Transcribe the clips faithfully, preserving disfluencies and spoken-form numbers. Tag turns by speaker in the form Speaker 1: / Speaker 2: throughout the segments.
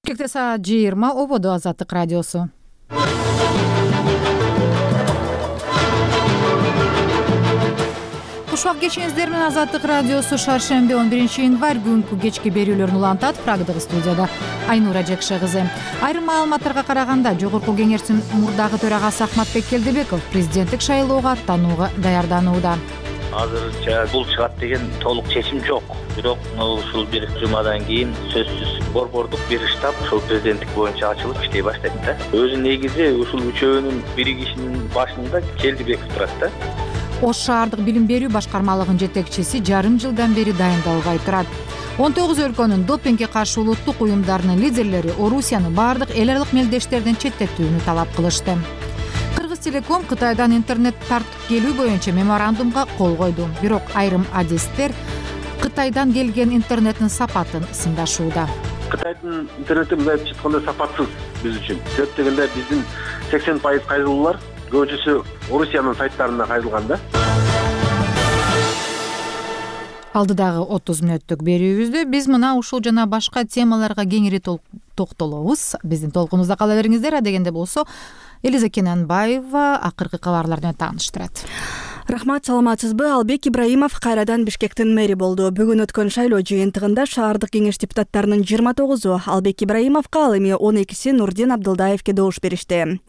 Speaker 1: Бишкекте саат жыйырма, ободо Азаттык радиосу. Кушак кечиңиздер менен Азаттык радиосу шаршемби он биринчи январь күнкү кечки берүүлөрүн улантат. Прагдагы студияда Айнура Жекше кызы. Айрым маалыматтарга караганда Жогорку Кеңештин мурдагы төрагасы Ахматбек Келдебеков президенттик шайлоого аттанууга даярданууда.
Speaker 2: Азырынча бул чыгат деген толук чечим жок. Бирок ушул бир жумадан кийин сөзсүз борбордук бир штаб ошол президенттик боюнча ачылып иштей баштайт да. Өзү негизи ушул үчөөнүн биригишинин башында Келдебеков турат да.
Speaker 1: Ош шаардык билим берүү башкармалыгынын жетекчиси жарым жылдан бери дайындалбай турат. он тогуз өлкөнүн допингге каршы улуттук уюмдарынын лидерлери Орусияны бардык эл аралык мелдештерден четтетүүнү талап кылышты. Кыргыз Телеком Кытайдан интернет тартып келүү боюнча меморандумга кол койду. Бирок айрым адистер Кытайдан келген интернеттин сапатын сындашууда.
Speaker 3: Кытайдын интернети мындай айтканда сапатсыз биз үчүн. Себеп дегенде биздин сексен пайыз кайрылуулар көбүнчөсү Орусиянын сайттарына кайрылган да.
Speaker 1: Алдыдагы отуз мүнөттүк берүүбүздө биз мына ушул жана башка темаларга кеңири токтолобуз. Биздин толкунубузда кала бериңиздер. Адегенде болсо Элиза Кененбаева акыркы кабарлар менен тааныштырат.
Speaker 4: Рахмат, саламатсызбы? Албек Ибраимов кайрадан Бишкектин мэри болду. Бүгүн өткөн шайлоо жыйынтыгында шаардык кеңеш депутаттарынын жыйырма тогузу Албек Ибраимовго, ал эми он экиси Нурдин Абдылдаевке добуш беришти.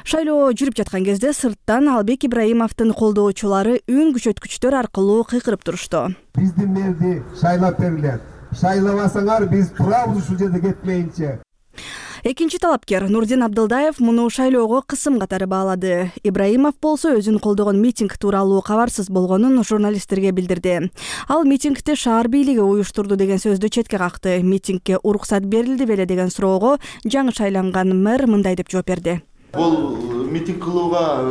Speaker 4: Шайлоо жүрүп жаткан кезде сырттан Албек Ибраимовдун колдоочулары үн күчөткүчтөр аркылуу кыйкырып турушту.
Speaker 5: Биздин мэрди шайлап бергиле. Шайлабасаңар биз турабыз ушул жерде кетмейинче.
Speaker 4: Экинчи талапкер Нурдин Абдылдаев муну шайлоого кысым катары баалады. Ибраимов болсо өзүн колдогон митинг тууралуу кабарсыз болгонун журналисттерге билдирди. Ал митингди шаар бийлиги уюштурду деген сөздү четке какты. Митингге уруксат берилди беле деген суроого жаңы шайланган мэр мындай деп жооп берди.
Speaker 6: Бул митинг кылууга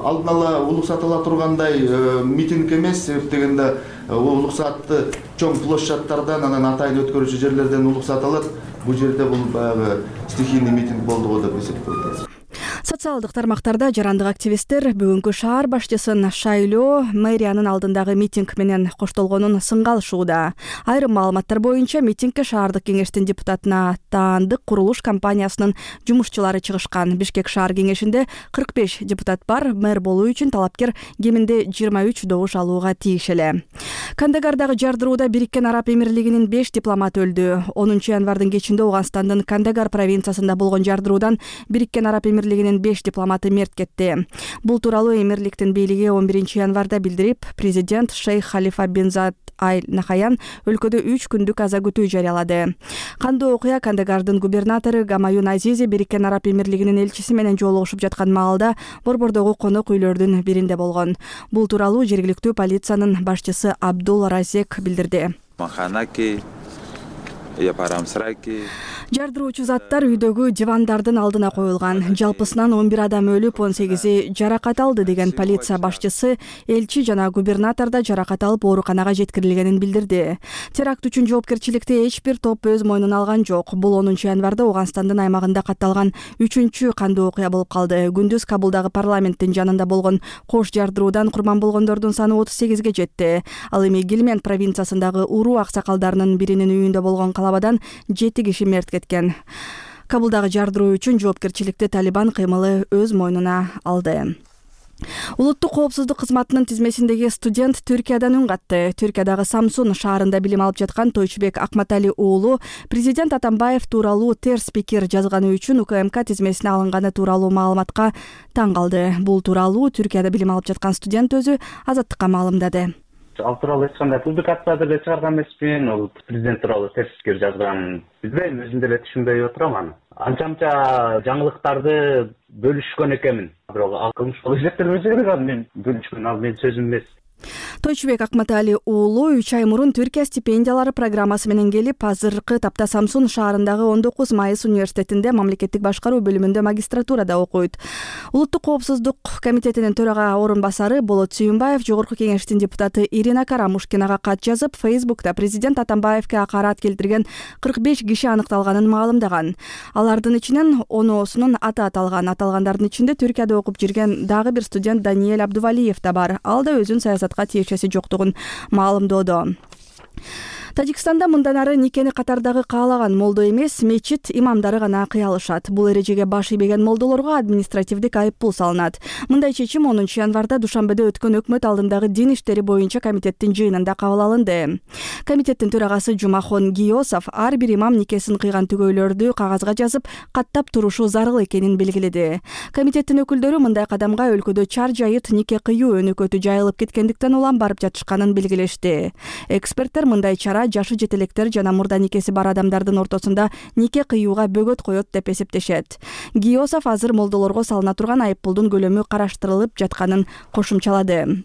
Speaker 6: алдын ала улуксат ала тургандай митинг эмес, себеп дегенде улуксатты чоң площадьтардан, анан атайын өткөрүүчү жерлерден улуксат алат. Бул жерде бул баягы стихийный митинг болду деп эсептейт.
Speaker 4: Социалдык тармактарда жарандык активисттер бүгүнкү шаар башчысын шайлоо мэриянын алдындагы митинг менен коштолгонун сынга алышууда. Айрым маалыматтар боюнча митингке шаардык кеңештин депутатына таандык курулуш компаниясынын жумушчулары чыгышкан. Бишкек шаар кеңешинде кырк беш депутат бар. Мэр болуу үчүн талапкер кеминде жыйырма үч добуш алууга тийиш эле. Кандагардагы жардырууда Бириккен Араб Эмирлигинин беш дипломат өлдү. онунчу январдын кечинде Ооганстандын Кандагар провинциясында болгон жардыруудан Бириккен Араб Эмирлигинин беш дипломаты мерт кетти. Бул тууралуу Эмирликтин бийлиги он биринчи январда билдирип, президент Шейх Халифа бин Зад Аль Нахаян өлкөдө үч күндүк аза күтүү жарыялады. Кандуу окуя Кандагардын губернатору Гамаюн Азизи Бириккен Араб Эмирлигинин элчиси менен жолугушуп жаткан маалда борбордогу конок үйлөрдүн биринде болгон. Бул тууралуу жергиликтүү полициянын башчысы Абдул Разек билдирди. Жардыруучу заттар үйдөгү дивандардын алдына коюлган. Жалпысынан он бир адам өлүп, он сегизи жаракат алды деген полиция башчысы элчи жана губернатор да жаракат алып ооруканага жеткирилгенин билдирди. Теракт үчүн жоопкерчиликти эч бир топ өз мойнуна алган жок. Бул онунчу январда Ооганстандын аймагында катталган үчүнчү кандуу окуя болуп калды. Күндүз Кабулдагы парламенттин жанында болгон кош жардыруудан курман болгондордун саны отуз сегизге жетти. Ал эми Гилмент провинциясындагы уруу аксакалдарынын биринин үйүндө болгон калабадан жети киши мерт кеткен. Кабулдагы жардыруу үчүн жоопкерчиликти Талибан кыймылы өз мойнуна алды. Улуттук коопсуздук кызматынын тизмесиндеги студент Түркиядан үн катты. Түркиядагы Самсун шаарында билим алып жаткан Тойчубек Акматали уулу президент Атамбаев тууралуу терс пикир жазганы үчүн УКМК тизмесине алынганы тууралуу маалыматка таң калды. Бул тууралуу Түркияда билим алып жаткан студент өзү Азаттыкка маалымдады.
Speaker 7: Ал тууралуу эч кандай публикация деле чыгарган эмесмин. Ол президент тууралуу терс пикир жазган. Билбейм, өзүм деле түшүнбөй отурам аны. Анча-мынча жаңылыктарды бөлүшкөн экенмин. Бирок ал кылмыш болуп эсептелбей жүргөн, мен бөлүшкөн, ал менин сөзүм эмес.
Speaker 4: Тойчубек Акматали уулу үч ай мурун Түркия стипендиялары программасы менен келип, азыркы тапта Самсун шаарындагы он тогуз майыс университетинде мамлекеттик башкаруу бөлүмүндө магистратурада окуйт. Улуттук коопсуздук комитетинин төрага орун басары Болот Сүйүнбаев Жогорку Кеңештин депутаты Ирина Карамушкинага кат жазып, Фейсбукта президент Атамбаевке акарат келтирген кырк беш киши аныкталганын маалымдаган. Алардын ичинен оноосунун аты аталган. Аталгандардын ичинде Түркияда окуп жүргөн дагы бир студент Даниэль Абдувалиев да бар. Ал да өзүн саясат тиешеси жоктугун маалымдоодо. Тажикстанда мындан ары никени катардагы каалаган молдо эмес, мечит имамдары гана кыя алышат. Бул эрежеге баш ийбеген молдолорго административдик айып пул салынат. Мындай чечим онунчу январда Душанбеде өткөн өкмөт алдындагы дин иштери боюнча комитеттин жыйынында кабыл алынды. Комитеттин төрагасы Жумахон Гиосов ар бир имам никесин кыйган түгөйлөрдү кагазга жазып, каттап турушу зарыл экенин белгиледи. Комитеттин өкүлдөрү мындай кадамга өлкөдө чар жайыт нике кыюу өнөкөтү жайылып кеткендиктен улам барып жатышканын белгилешти. Эксперттер мындай чара жашы жетелектер жана мурда никеси бар адамдардын ортосунда нике кыюуга бөгөт коет деп эсептешет. Гиосов азыр молдолорго салына турган айыппулдун көлөмү караштырылып жатканын кошумчалады.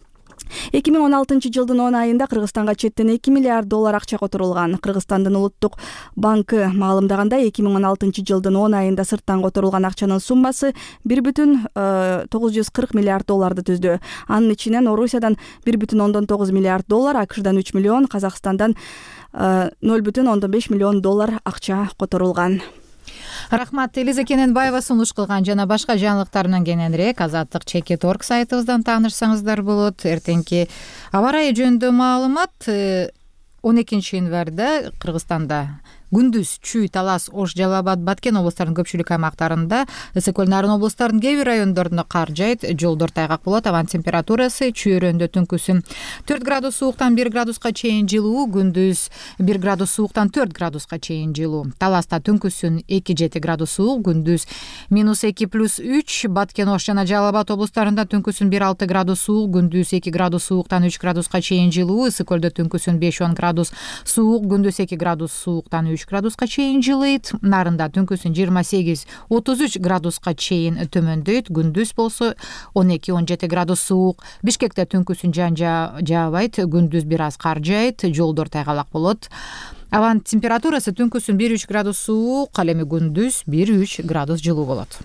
Speaker 4: эки миң он алтынчы жылдын он айында Кыргызстанга четтен эки миллиард доллар акча которулган. Кыргызстандын улуттук банкы маалымдагандай, эки миң он алтынчы жылдын он айында сырттан которулган акчанын суммасы бир бүтүн тогуз жүз кырк миллиард долларды түздү. Анын ичинен Орусиядан бир бүтүн ондон тогуз миллиард доллар, АКШдан үч миллион, Казакстандан ноль бүтүн ондон беш миллион доллар акча которулган.
Speaker 1: Рахмат. Элиза Кененбаева сунуш кылган жана башка жаңылыктар менен кененирээк Азаттык чекит точка орг сайтыбыздан таанышсаңыздар болот. Эртеңки аба ырайы жөнүндө маалымат он экинчи январда Кыргызстанда күндүз Чүй, Талас, Ош, Жалал Абад, Баткен облустарынын көпчүлүк аймактарында, ысык көл, Нарын облустарынын кээ бир райондорунда кар жайт, жолдор тайгак болот. Абанын температурасы Чүй өрөөндө түнкүсүн төрт градус сууктан бир градуска чейин жылуу, күндүз бир градус сууктан төрт градуска чейин жылуу. Таласта түнкүсүн эки жети градус суук, күндүз минус эки плюс үч, Баткен, Ош жана Жалал Абад облустарында түнкүсүн бир алты градус суук, күндүз эки градус сууктан үч градуска чейин жылуу, ысык көлдө түнкүсүн беш он градус суук, күндүз эки градус сууктан үч градуска чейин жылыйт. Нарында түнкүсүн жыйырма сегиз отуз үч градуска чейин төмөндөйт, күндүз болсо он эки он жети градус суук. Бишкекте түнкүсүн жан жаабайт, күндүз бир аз кар жайт, жолдор тайгалак болот. Абанын температурасы түнкүсүн бир үч градус суук, ал эми күндүз бир үч градус жылуу болот.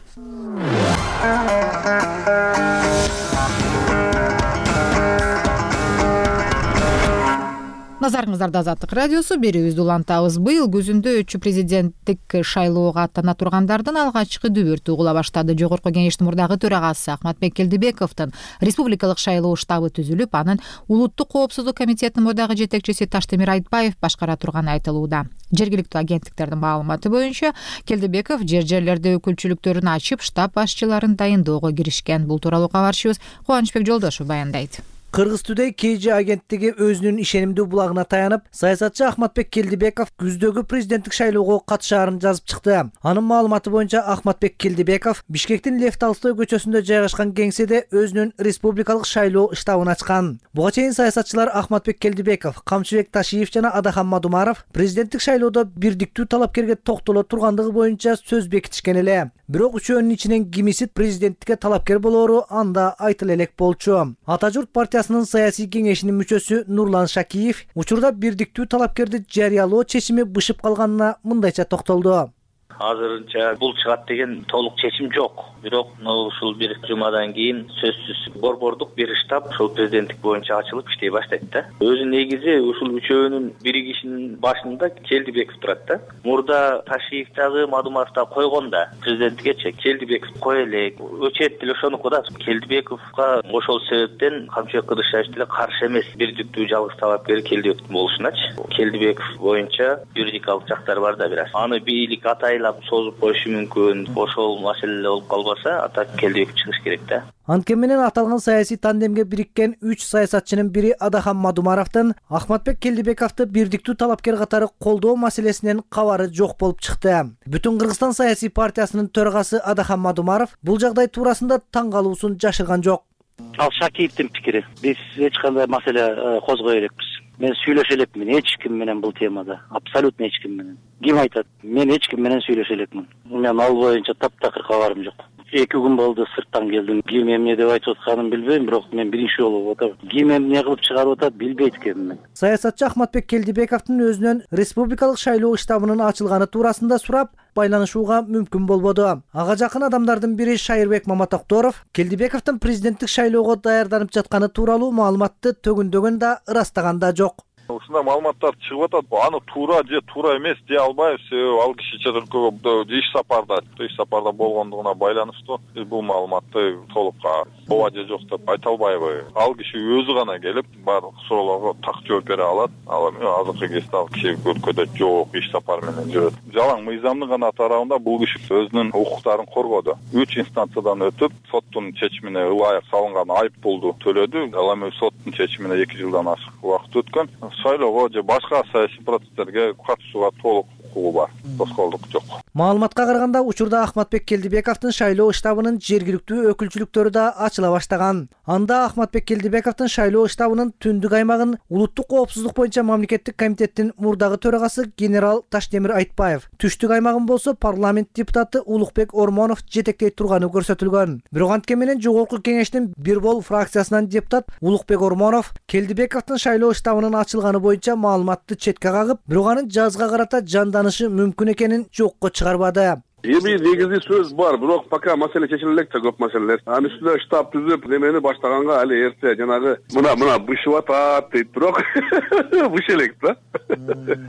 Speaker 1: Назарыңыздарда Азаттык радиосу, берүүбүздү улантабыз. Быйыл күзүндө өтчү президенттик шайлоого аттана тургандардын алгачкы дүбүртү угула баштады. Жогорку кеңештин мурдагы төрагасы Ахматбек Келдибековдун республикалык шайлоо штабы түзүлүп, анын улуттук коопсуздук комитетинин мурдагы жетекчиси Таштемир Айтбаев башкара турганы айтылууда. Жергиликтүү агенттиктердин маалыматы боюнча, Келдибеков жер жерлерде өкүлчүлүктөрүн ачып, штаб башчыларын дайындоого киришкен. Бул тууралуу кабарчыбыз Кубанычбек Жолдошев баяндайт.
Speaker 8: Кыргыз Today кей жи агенттиги өзүнүн ишенимдүү булагына таянып, саясатчы Ахматбек Келдибеков күздөгү президенттик шайлоого катышаарын жазып чыкты. Анын маалыматы боюнча Ахматбек Келдибеков Бишкектин Лев Толстой көчөсүндө жайгашкан кеңседе өзүнүн республикалык шайлоо штабын ачкан. Буга чейин саясатчылар Ахматбек Келдибеков, Камчыбек Ташиев жана Адахан Мадумаров президенттик шайлоодо бирдиктүү талапкерге токтоло тургандыгы боюнча сөз бекитишкен эле. Бирок үчөөнүн ичинен кимиси президенттикке талапкер болоору анда айтыла элек болчу. Ата журт партиясынын саясий кеңешинин мүчөсү Нурлан Шакиев учурда бирдиктүү талапкерди жарыялоо чечими бышып калганына мындайча токтолду.
Speaker 2: Азырынча бул чыгат деген толук чечим жок. Бирок ушул бир жумадан кийин сөзсүз борбордук бир штаб ошол президенттик боюнча ачылып иштей баштайт да. Өзү негизи ушул үчөөнүн биригишинин башында Келдибеков турат да. Мурда Ташиев дагы, Мадумаров да койгон да президенттикке Келдибеков кой элек. Өчөт деле ошонуку да. Келдибековго ошол себептен Камчыбек Кыдыршаев деле каршы эмес бирдиктүү жалгыз талапкер Келдибековдун болушуначы. Келдибеков боюнча юридикалык жактары бар да бир аз. Аны бийлик атайлап созуп коюшу мүмкүн. Ошол маселе болуп калбаса, ата Келдибеков чыгыш керек да.
Speaker 8: Анткени менен аталган саясий тандемге бириккен үч саясатчынын бири Адахан Мадумаровдун Ахматбек Келдибековду бирдиктүү талапкер катары колдоо маселесинен кабары жок болуп чыкты. Бүтүн Кыргызстан саясий партиясынын төрагасы Адахан Мадумаров бул жагдай туурасында таң калуусун жашырган жок.
Speaker 9: Ал Шакиевдин пикири. Биз эч кандай маселе козгой элекпиз. Мен сүйлөшө элекмин эч ким менен бул темада. Абсолютно эч ким менен. Ким айтат? Мен эч ким менен сүйлөшө элекмин. Мен ал боюнча таптакыр кабарым жок. эки күн болду сырттан келдим. Ким эмне деп айтып атканын билбейм, бирок мен биринчи жолу болуп атам. Ким эмне кылып чыгарып атат билбейт экенмин.
Speaker 8: Саясатчы Ахматбек Келдибековдун өзүнөн республикалык шайлоо штабынын ачылганы туурасында сурап, байланышууга мүмкүн болбоду. Ага жакын адамдардын бири Шайырбек Маматокторов Келдибековдун президенттик шайлоого даярданып жатканы тууралуу маалыматты төгүндөгөн да ырастаган да жок.
Speaker 10: Ушундай маалыматтар чыгып атат. Аны туура же туура эмес дей албайбыз. Себеби ал киши чет өлкөгө иш сапарда, иш сапарда болгондугуна байланыштуу биз бул маалыматты толук ооба же жок деп айта албайбыз. Ал киши өзү гана келип баардык суроолорго так жооп бере алат. Ал эми азыркы кезде ал киши өлкөдө жок, иш сапары менен жүрөт. Жалаң мыйзамдын гана тарабында бул киши өзүнүн укуктарын коргоду. Үч инстанциядан өтүп, соттун чечимине ылайык салынган айып пулду төлөдү. Ал эми соттун чечимине эки жылдан ашык убакыт өткөн. Шайлоого же башка саясий процесстерге катышууга толук укугу бар. Тоскоолдук жок.
Speaker 8: Маалыматка караганда учурда Ахматбек Келдибековдун шайлоо штабынын жергиликтүү өкүлчүлүктөрү да ачыла баштаган. Анда Ахматбек Келдибековдун шайлоо штабынын түндүк аймагын улуттук коопсуздук боюнча мамлекеттик комитеттин мурдагы төрагасы генерал Таштемир Айтбаев, түштүк аймагын болсо парламент депутаты Улукбек Ормонов жетектей турганы көрсөтүлгөн. Бирок анткени менен жогорку кеңештин бир бол фракциясынан депутат Улукбек Ормонов Келдибековдун шайлоо штабынын ачылганы боюнча маалыматты четке кагып, бирок анын жазга карата жанданышы мүмкүн экенин жокко чыгарбады.
Speaker 11: Эми негизи сөз бар, бирок пока маселе чечиле элек да көп маселелер. Анын үстүнө штаб түзүп, немени баштаганга али эрте жанагы мына мына бышып атат дейт, бирок быш элек да.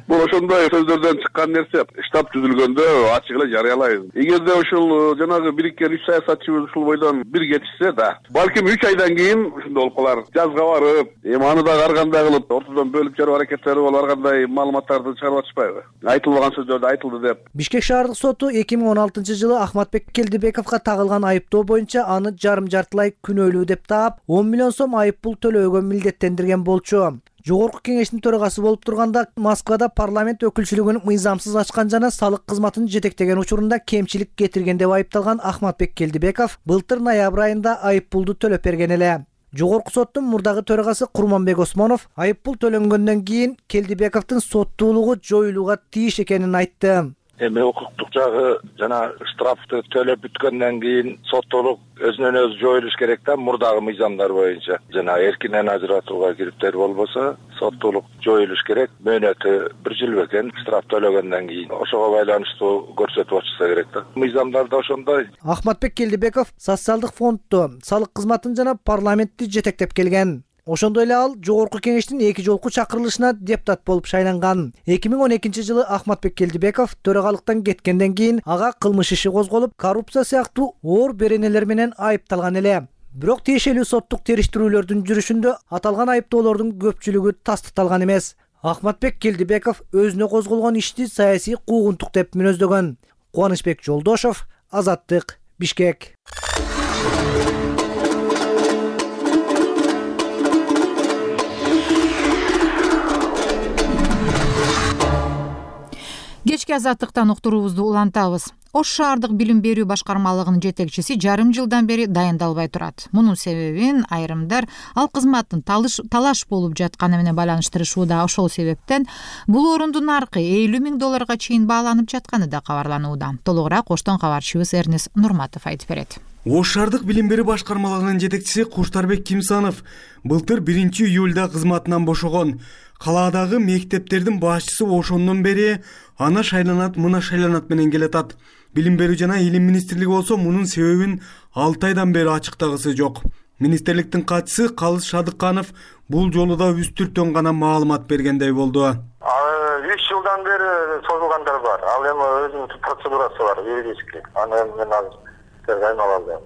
Speaker 11: Бул ошондой сөздөрдөн чыккан нерсе. Штаб түзүлгөндө ачык эле жарыялайбыз. Эгерде ушул жанагы бириккен үч саясатчыбыз ушул бойдон бир кетишсе да, балким үч айдан кийин ушундай болуп калар. Жазга барып, эми аны да ар кандай кылып ортодон бөлүп жаруу аракеттери болуп, ар кандай маалыматтарды чыгарып атышпайбы? Айтылбаган сөздөрдү айтылды деп.
Speaker 8: Бишкек шаардык соту эки миң он алтынчы жылы Ахматбек Келдибековго тагылган айыптоо боюнча аны жарым жартылай күнөөлүү деп таап, он миллион сом айып пул төлөөгө милдеттендирген болчу. Жогорку кеңештин төрагасы болуп турганда Москвада парламент өкүлчүлүгүн мыйзамсыз ачкан жана салык кызматын жетектеген учурунда кемчилик кетирген деп айыпталган Ахматбек Келдибеков былтыр ноябрь айында айып пулду төлөп берген эле. Жогорку соттун мурдагы төрагасы Курманбек Осмонов айып пул төлөнгөндөн кийин Келдибековдун соттуулугу жоюлууга тийиш экенин айтты.
Speaker 12: Эми укуктук жагы жана штрафты төлөп бүткөндөн кийин соттуулук өзүнөн өзү жоюлуш керек да, мурдагы мыйзамдар боюнча. Жана эркинен ажыратууга кириптер болбосо соттуулук жоюлуш керек. Мөөнөтү бир жыл бекен штраф төлөгөндөн кийин. Ошого байланыштуу көрсөтүп атышса керек да. Мыйзамдарда ошондой.
Speaker 8: Ахматбек Келдибеков социалдык фондду, салык кызматын жана парламентти жетектеп келген. Ошондой эле ал жогорку кеңештин эки жолку чакырылышына депутат болуп шайланган. эки миң он экинчи жылы Ахматбек Келдибеков төрагалыктан кеткенден кийин ага кылмыш иши козголуп, коррупция сыяктуу оор беренелер менен айыпталган эле. Бирок тиешелүү соттук териштирүүлөрдүн жүрүшүндө аталган айыптоолордун көпчүлүгү тастыкталган эмес. Ахматбек Келдибеков өзүнө козголгон ишти саясий куугунтук деп мүнөздөгөн. Кубанычбек Жолдошов, Азаттык, Бишкек.
Speaker 1: Кечки азаттыктан уктуруубузду улантабыз. Ош шаардык билим берүү башкармалыгынын жетекчиси жарым жылдан бери дайындалбай турат. Мунун себебин айрымдар ал кызматтын талаш болуп жатканы менен байланыштырышууда. Ошол себептен бул орунду наркы элүү миң долларга чейин бааланып жатканы да кабарланууда. Толугураак Оштон кабарчыбыз Эрнес Нурматов айтып берет.
Speaker 13: Ош шаардык билим берүү башкармалыгынын жетекчиси Куштарбек Кимсанов былтыр биринчи июлда кызматынан бошогон. Калаадагы мектептердин башчысы ошондон бери ана шайланат, мына шайланат менен келатат. Билим берүү жана илим министрлиги болсо мунун себебин алты айдан бери ачыктагысы жок. Министрликтин катчысы Калыс Шадыкканов бул жолу да үстүртөн гана маалымат бергендей болду.
Speaker 14: үч жылдан бери созулгандар бар. Ал эми өзүнүн процедурасы бар, юридический. Аны мен азыр айнала алдым.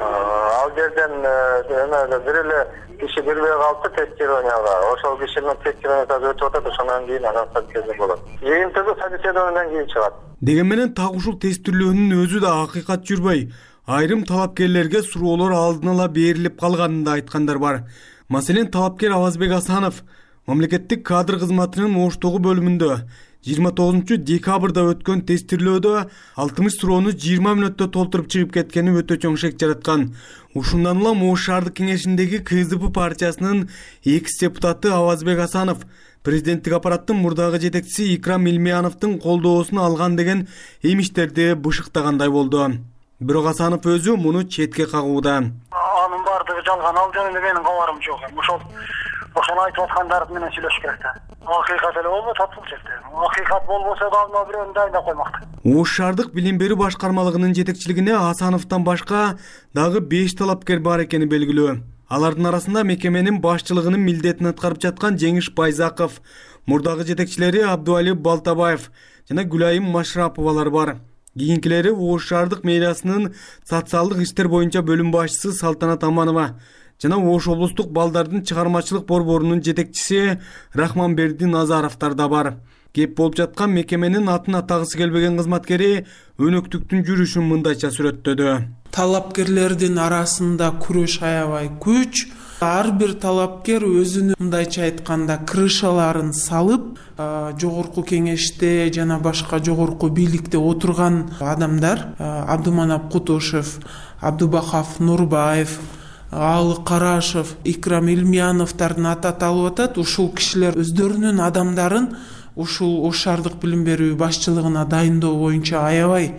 Speaker 14: Ал жерден эме бир эле киши бербей калды тестированияга. Ошол кишинин тестированиясы өтүп атат, ошондон кийин анан собеседование болот. Жыйынтыгы собеседованиядан кийин чыгат.
Speaker 13: Деген менен так ушул тестирлөөнүн өзү да акыйкат жүрбөй. Айрым талапкерлерге суроолор алдын ала берилип калганын да айткандар бар. Маселен, талапкер Авазбек Асанов мамлекеттик кадр кызматынын Оштогу бөлүмүндө жыйырма тогузунчу декабрда өткөн тестирлөөдө алтымыш суроону жыйырма мүнөттө толтуруп чыгып кеткени өтө чоң шек жараткан. Ушундан улам Ош шаардык кеңешиндеги КСДП партиясынын экс-депутаты Авазбек Асанов президенттик аппараттын мурдагы жетекчиси Икрам Илмияновдун колдоосун алган деген эмиштерди бышыктагандай болду. Бирок Асанов өзү муну четке кагууда.
Speaker 14: Анын бардыгы жалган, ал жөнүндө менин кабарым жок. Ошол ошону айтып аткандар менен сүйлөшүш керек да. Акыйкат эле болбойт бул жерде. Акыйкат болбосо да алма бирөөнү дайындап коймакты.
Speaker 13: Ош шаардык билим берүү башкармалыгынын жетекчилигине Асановдон башка дагы беш талапкер бар экени белгилүү. Алардын арасында мекеменин башчылыгынын милдетин аткарып жаткан Жеңиш Байзаков, мурдагы жетекчилери Абдуали Балтабаев жана Гүлайым Машраповалар бар. Кийинкилери Ош шаардык мэриясынын социалдык иштер боюнча бөлүм башчысы Салтанат Аманова жана Ош облустук балдардын чыгармачылык борборунун жетекчиси Рахманберди Назаровдор да бар. Кеп болуп жаткан мекеменин атын атагысы келбеген кызматкери өнөктүктүн жүрүшүн мындайча сүрөттөдү.
Speaker 15: Талапкерлердин арасында күрөш аябай күч. Ар бир талапкер өзүнүн мындайча айтканда крышаларын салып, жогорку кеңеште жана башка жогорку бийликте отурган адамдар, Абдуманап Кутушев, Абдубахав Нурбаев, Алы Карашев, Икрам Илмияновдордун аты аталып атат. Ушул кишилер өздөрүнүн адамдарын ушул Ош шаардык билим берүү башчылыгына дайындоо боюнча аябай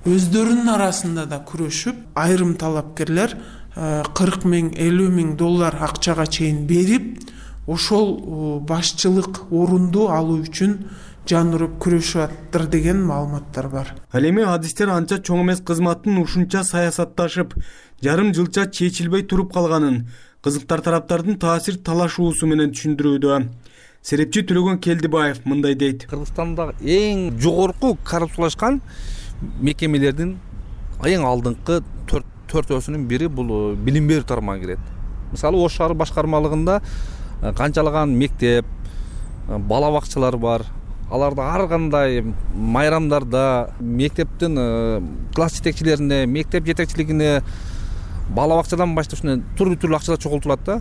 Speaker 15: өздөрүнүн арасында да күрөшүп, айрым талапкерлер кырк миң элүү миң доллар акчага чейин берип, ошол башчылык орунду алуу үчүн жан уруп күрөшүп аттыр деген маалыматтар бар.
Speaker 13: Ал эми адистер анча чоң эмес кызматтын ушунча саясатташып, жарым жылча чечилбей туруп калганын кызыктар тараптардын таасир талашуусу менен түшүндүрүүдө. Серепчи Төлөгөн Келдибаев мындай дейт.
Speaker 16: Кыргызстанда эң жогорку коррупциялашкан мекемелердин эң алдыңкы төртөөсүнүн бири бул билим берүү тармагына кирет. Мисалы Ош шаар башкармалыгында канчалаган мектеп, бала бакчалар бар. Аларда ар кандай майрамдарда мектептин класс жетекчилерине, мектеп жетекчилигине, бала бакчадан баштап түрлүү-түрлүү акчалар чогултулат да.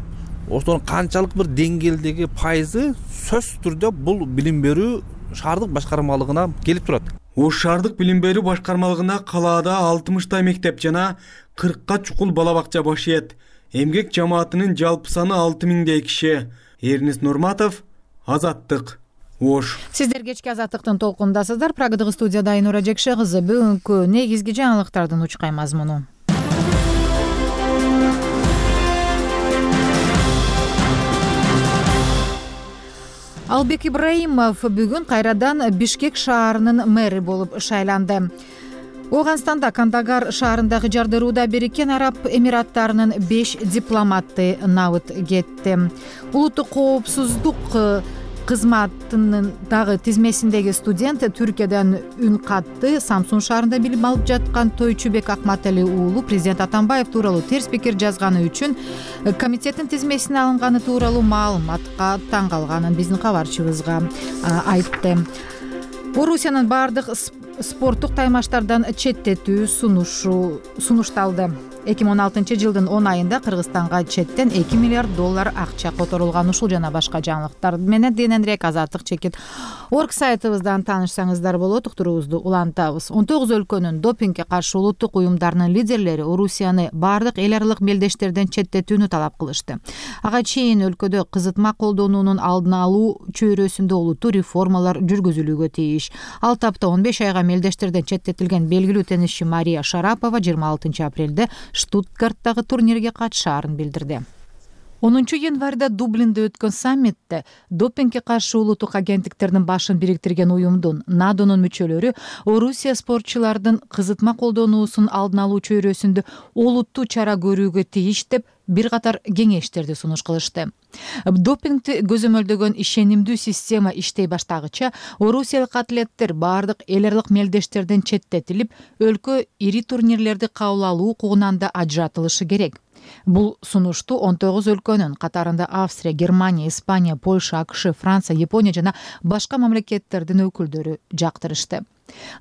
Speaker 16: Ошонун канчалык бир деңгээлдеги пайызы сөзсүз түрдө бул билим берүү шаардык башкармалыгына келип турат.
Speaker 13: Ош шаардык билим берүү башкармалыгына калаада алтымыштай мектеп жана кыркка чукул бала бакча баш ийет. Эмгек жамаатынын жалпы саны алты миңдей киши. Эрнис Нурматов, Азаттык, Ош.
Speaker 1: Сиздер кечки Азаттыктын толкундасыздар. Прагадагы студияда Айнура Жекше кызы. Бүгүнкү негизги жаңылыктардын учкай мазмуну. Албек Ибраимов бүгүн кайрадан Бишкек шаарынын мэри болуп шайланды. Оганстанда Кандагар шаарындагы жардырууда Бириккен Араб Эмираттарынын беш дипломаты набыт кетти. Улуттук коопсуздук кызматынын дагы тизмесиндеги студент Түркиядан үн катты. Самсун шаарында билим алып жаткан Тойчубек Акматали уулу президент Атамбаев тууралуу терс пикир жазганы үчүн комитеттин тизмесине алынганы тууралуу маалыматка таң калганын биздин кабарчыбызга айтты. Орусиянын бардык спорттук таймаштардан четтетүү сунушу сунушталды. эки миң он алтынчы жылдын он айында Кыргызстанга четтен эки миллиард доллар акча которулган. Ушул жана башка жаңылыктар менен кененирээк Азаттык чекит орг сайтыбыздан таанышсаңыздар болот. Уктуруубузду улантабыз. он тогуз өлкөнүн допингге каршы улуттук уюмдарынын лидерлери Орусияны бардык эл аралык мелдештерден четтетүүнү талап кылышты. Ага чейин өлкөдө кызытма колдонуунун алдын алуу чөйрөсүндө улуттуу реформалар жүргүзүлүүгө тийиш. Ал тапта он беш айга мелдештерден четтетилген белгилүү теннисчи Мария Шарапова жыйырма алтынчы апрелде Штутгарттагы турнирге катышаарын билдирди. онунчу январда Дублинде өткөн саммитте допингге каршы улуттук агенттиктердин башын бириктирген уюмдун надонун мүчөлөрү Орусия спортчулардын кызытма колдонуусун алдын алуу чөйрөсүндө олуттуу чара көрүүгө тийиш деп бир катар кеңештерди сунуш кылышты. Допингди көзөмөлдөгөн ишенимдүү система иштей баштагыча орусиялык атлеттер бардык эл аралык мелдештерден четтетилип, өлкө ири турнирлерди кабыл алуу укугунан да ажыратылышы керек. Бул сунушту он тогуз өлкөнүн катарында Австрия, Германия, Испания, Польша, АКШ, Франция, Япония жана башка мамлекеттердин өкүлдөрү жактырышты.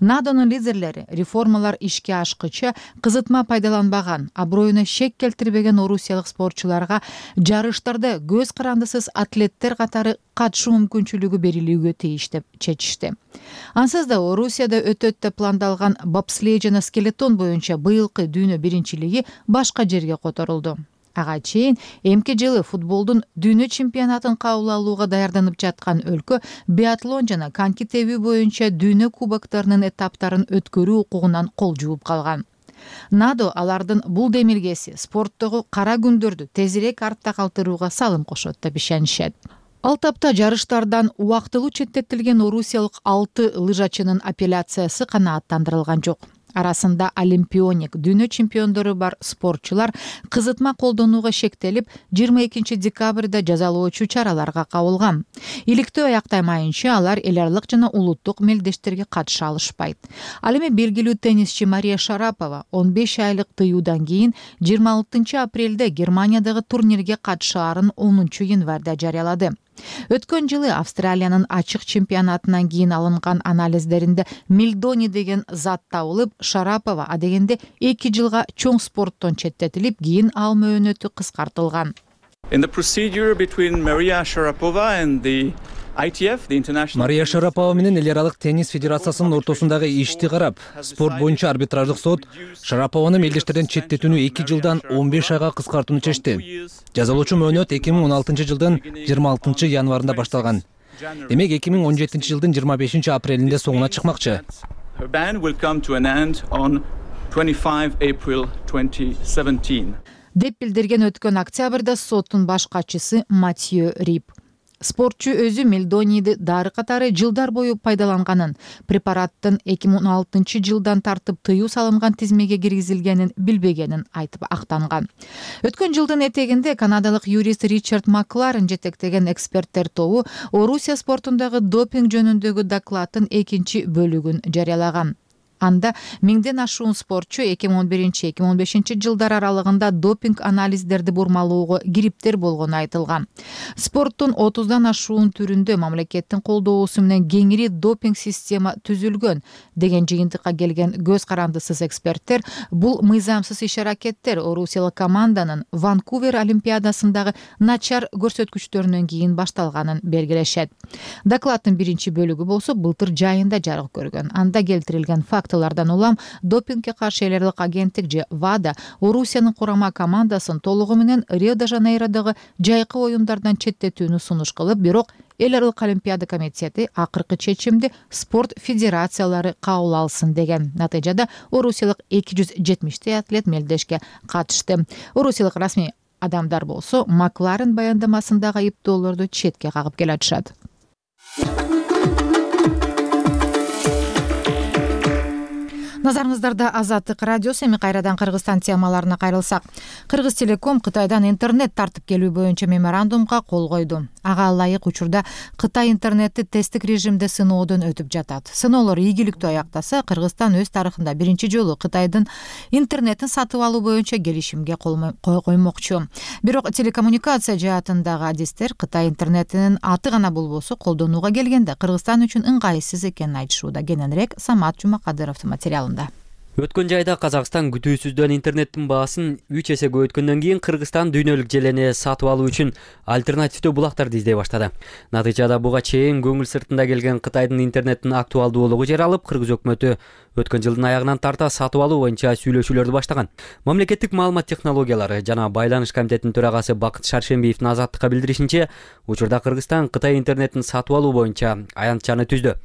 Speaker 1: Надонун лидерлери реформалар ишке ашкыча кызытма пайдаланбаган, аброюна шек келтирбеген орусиялык спортчуларга жарыштарда көз карандысыз атлеттер катары катышуу мүмкүнчүлүгү берилүүгө тийиш деп чечишти. Ансыз да Орусияда өтөт деп пландалган бобслей жана скелетон боюнча быйылкы дүйнө биринчилиги башка жерге которулду. Ага чейин эмки жылы футболдун дүйнө чемпионатын кабыл алууга даярданып жаткан өлкө биатлон жана коньки тебүү боюнча дүйнө кубоктарынын этаптарын өткөрүү укугунан кол жууп калган. Надо алардын бул демилгеси спорттогу кара күндөрдү тезирээк артта калтырууга салым кошот деп ишенишет. Ал тапта жарыштардан убактылуу четтетилген орусиялык алты лыжачынын апелляциясы канааттандырылган жок. Арасында олимпионик, дүйнө чемпиондору бар спортчулар кызытма колдонууга шектелип, жыйырма экинчи декабрда жазалоочу чараларга кабылган. Иликтөө аяктаймайынча алар эл аралык жана улуттук мелдештерге катыша алышпайт. Ал эми белгилүү теннисчи Мария Шарапова он беш айлык тыюудан кийин жыйырма алтынчы апрелде Германиядагы турнирге катышаарын онунчу январда жарыялады. Өткөн жылы Австралиянын ачык чемпионатынан кийин алынган анализдеринде мельдони деген зат табылып, Шарапова адегенде эки жылга чоң спорттон четтетилип, кийин ал мөөнөтү кыскартылган.
Speaker 17: In the procedure between Maria Sharapova and the I T F, the International
Speaker 18: Мария Шарапова менен эл аралык теннис федерациясынын ортосундагы ишти карап, спорт боюнча арбитраждык сот Шарапованы мелдештерден четтетүүнү эки жылдан он беш айга кыскартууну чечти. Жазалоочу мөөнөт эки миң он алтынчы жылдын жыйырма алтынчы январында башталган. Демек эки миң он жетинчи жылдын жыйырма бешинчи апрелинде соңуна чыкмакчы.
Speaker 17: Her ban will come to an end on twenty-fifth of April twenty seventeen.
Speaker 1: Деп билдирген өткөн октябрда соттун баш катчысы Матью Рип. Спортчу өзү мельдонийди дары катары жылдар бою пайдаланганын, препараттын эки миң он алтынчы жылдан тартып тыюу салынган тизмеге киргизилгенин билбегенин айтып актанган. Өткөн жылдын этегинде канадалык юрист Ричард Макларен жетектеген эксперттер тобу Орусия спортундагы допинг жөнүндөгү докладдын экинчи бөлүгүн жарыялаган. Анда миңден ашуун спортчу эки миң он биринчи — эки миң он бешинчи жылдар аралыгында допинг анализдерди бурмалоого кириптер болгону айтылган. Спорттун отуздан ашуун түрүндө мамлекеттин колдоосу менен кеңири допинг система түзүлгөн деген жыйынтыкка келген көз карандысыз эксперттер бул мыйзамсыз иш-аракеттер орусиялык команданын Ванкувер олимпиадасындагы начар көрсөткүчтөрүнөн кийин башталганын белгилешет. Докладдын биринчи бөлүгү болсо былтыр жайында жарык көргөн. Анда келтирилген факт Фактылардан улам допингге каршы эл аралык агенттик же ВАДА Орусиянын курама командасын толугу менен Рио-де-Жанейродогу жайкы оюндардан четтетүүнү сунуш кылып, бирок эл аралык олимпиада комитети акыркы чечимди спорт федерациялары кабыл алсын деген. Натыйжада орусиялык эки жүз жетимиштей атлет мелдешке катышты. Орусиялык расмий адамдар болсо Макларен баяндамасындагы айыптоолорду четке кагып келатышат. Назарыңыздарда Азаттык радиосу. Эми кайрадан Кыргызстан темаларына кайрылсак. Кыргыз Телеком Кытайдан интернет тартып келүү боюнча меморандумга кол койду. Ага ылайык учурда Кытай интернетти тесттик режимде сыноодон өтүп жатат. Сыноолор ийгиликтүү аяктаса, Кыргызстан өз тарыхында биринчи жолу Кытайдын интернетин сатып алуу боюнча келишимге кол коймокчу. Бирок телекоммуникация жаатындагы адистер Кытай интернетинин аты гана болбосо колдонууга келгенде Кыргызстан үчүн ыңгайсыз экенин айтышууда. Кененирээк Самат Жумакадыровдун материалында.
Speaker 19: Өткөн жайда Казакстан күтүүсүздөн интернеттин баасын үч эсе көбөйткөндөн кийин Кыргызстан дүйнөлүк желени сатып алуу үчүн альтернативдүү булактарды издей баштады. Натыйжада буга чейин көңүл сыртында келген Кытайдын интернеттин актуалдуулугу жаралып, Кыргыз өкмөтү өткөн жылдын аягынан тарта сатып алуу боюнча сүйлөшүүлөрдү баштаган. Мамлекеттик маалымат технологиялары жана байланыш комитетинин төрагасы Бакыт Шаршембиевдин Азаттыкка билдиришинче, учурда Кыргызстан Кытай интернетин сатып алуу боюнча аянтчаны түздү.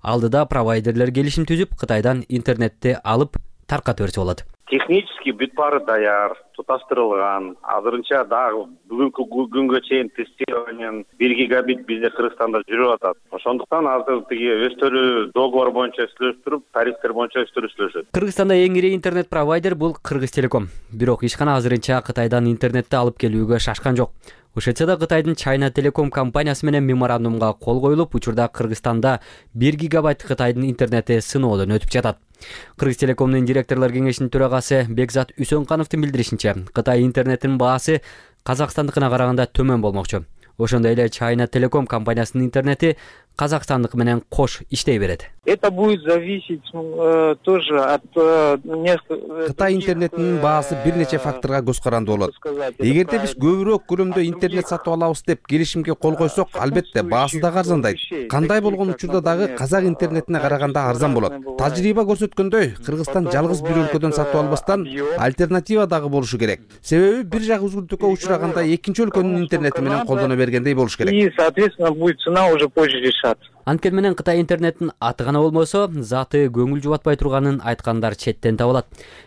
Speaker 19: Алдыда провайдерлер келишим түзүп, Кытайдан интернетти алып таркатып берсе болот.
Speaker 20: Технически бүт баары даяр, туташтырылган. Азырынча дагы бүгүнкү күнгө чейин тестированиянын бир гигабит бизде Кыргызстанда жүрүп атат. Ошондуктан азыр тиги өздөрү договор боюнча сүйлөштүрүп, тарифтер боюнча өздөрү сүйлөшөт.
Speaker 19: Кыргызстанда эң ири интернет провайдер бул Кыргыз Телеком. Бирок ишкана азырынча Кытайдан интернетти алып келүүгө шашкан жок. Ошентсе да Кытайдын China Telecom компаниясы менен меморандумга кол коюлуп, учурда Кыргызстанда бир гигабайт Кытайдын интернети сыноодон өтүп жатат. Кыргыз Телекомдун директорлор кеңешинин төрагасы Бекзат Үсөнгановдун билдиришинче, Кытай интернетинин баасы Казакстандыкына караганда төмөн болмокчу. Ошондой эле China Telecom компаниясынын интернети Казакстандык менен кош иштей берет.
Speaker 21: Это будет зависеть э, тоже от э, нескольких.
Speaker 22: Кытай интернетинин баасы бир нече факторго көз карандуу болот. Эгерде биз көбүрөөк көлөмдө интернет сатып алабыз деп келишимге кол койсок, албетте баасы да арзандайт. Кандай болгон учурда дагы казак интернетине караганда арзан болот. Тажрыйба көрсөткөндөй, Кыргызстан жалгыз бир өлкөдөн сатып албастан альтернатива дагы болушу керек. Себеби бир жак үзгүлтүккө учураганда экинчи өлкөнүн интернети менен колдоно бергендей болуш керек.
Speaker 21: И, соответственно, будет цена уже позже решаться.
Speaker 19: Анткени менен Кытай интернетин аты гана болбосо заты көңүл жубатпай турганын айткандар четтен табылат.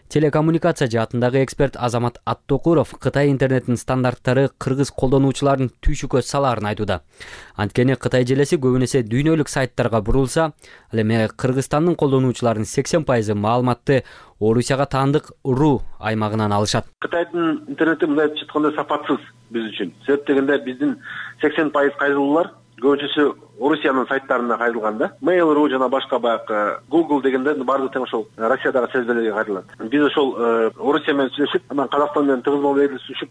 Speaker 19: Телекоммуникация жаатындагы эксперт Азамат Аттокуров Кытай интернетинин стандарттары кыргыз колдонуучуларын түйшүккө салаарын айтууда. Анткени Кытай желеси көбүн эсе дүйнөлүк сайттарга бурулса, ал эми Кыргызстандын колдонуучуларынын сексен пайызы маалыматты Орусияга таандык РУ аймагынан алышат.
Speaker 3: Кытайдын интернети мындайча айтканда сапатсыз биз үчүн. Себеп дегенде биздин сексен пайыз кайрылуулар көбүнчөсү Орусиянын сайттарына кайрылган да. Mail.ru жана башка баягы Google дегенде баардыгы тең ошол Россиядагы серверлерге кайрылат. Биз ошол Орусия менен сүйлөшүп, анан Казакстан менен тыгыз мамилелешип,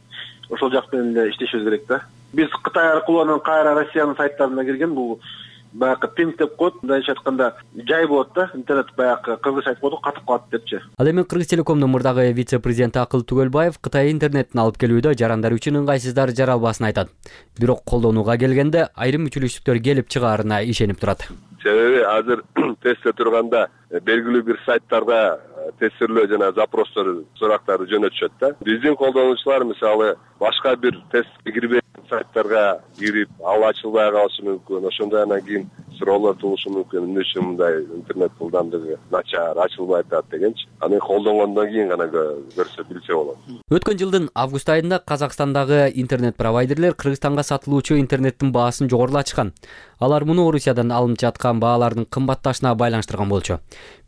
Speaker 3: ошол жак менен эле иштешибиз керек да. Биз Кытай аркылуу анан кайра Россиянын сайттарына кирген бул баягы пинг деп коет, мындайча айтканда жай болот да, интернет баягы кыргызча айтып коет, катып калат депчи.
Speaker 19: Ал эми Кыргыз Телекомдун мурдагы вице-президенти Акыл Түгөлбаев Кытай интернетин алып келүүдө жарандар үчүн ыңгайсыздар жаралбасын айтат. Бирок колдонууга келгенде айрым мүчүлүштүктөр келип чыгаарына ишенип турат.
Speaker 5: Себеби азыр тестте турганда белгилүү бир сайттарга тестирлөө жана запростор, сурактарды жөнөтүшөт да. Биздин колдонуучулар мисалы башка бир тестке кирбеген сайттарга кирип, ал ачылбай калышы мүмкүн. Ошондой анан кийин суроолор туулушу мүмкүн. Эмне үчүн мындай интернет ылдамдыгы начар, ачылбай атат дегенчи. Аны колдонгондон кийин гана көрсө билсе болот.
Speaker 19: Өткөн жылдын август айында Казакстандагы интернет провайдерлер Кыргызстанга сатылуучу интернеттин баасын жогорулатышкан. Алар муну Орусиядан алынып жаткан баалардын кымбатташына байланыштырган болчу.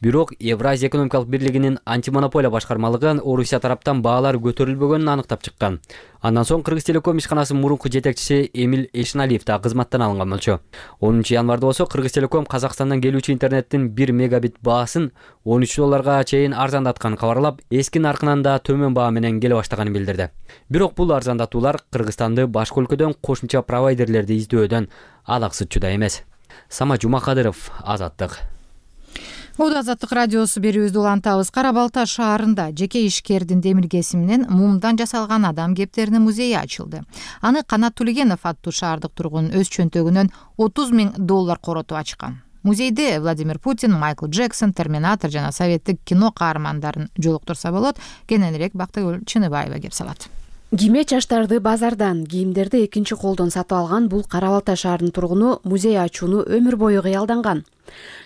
Speaker 19: Бирок Евразия экономикалык бирлигинин антимонополия башкармалыгы Орусия тараптан баалар көтөрүлбөгөнүн аныктап чыккан. Андан соң Кыргыз Телеком ишканасынын мурунку жетекчиси Эмил Эшиналиев да кызматтан алынган болчу. онунчу январда болсо Кыргыз Телеком Казакстандан келүүчү интернеттин бир мегабит баасын он үч долларга чейин арзандатканын кабарлап, эски наркынан да төмөн баа менен келе баштаганын билдирди. Бирок бул арзандатуулар Кыргызстанды башка өлкөдөн кошумча провайдерлерди издөөдөн алаксытчу да эмес. Сама Жумакадыров, Азаттык.
Speaker 1: Ода Азаттык радиосу берүүбүздү улантабыз. Кара Балта шаарында жеке ишкердин демилгеси менен мумдан жасалган адам кептеринин музейи ачылды. Аны Канат Тулегенов аттуу шаардык тургун өз чөнтөгүнөн отуз миң доллар коротуп ачкан. Музейде Владимир Путин, Майкл Джексон, Терминатор жана советтик кино каармандарын жолуктурса болот. Кененирээк Бактыгүл Чыныбаева кеп салат.
Speaker 23: Кийме чачтарды базардан, кийимдерди экинчи колдон сатып алган бул Кара Балта шаарынын тургуну музей ачууну өмүр бою кыялданган.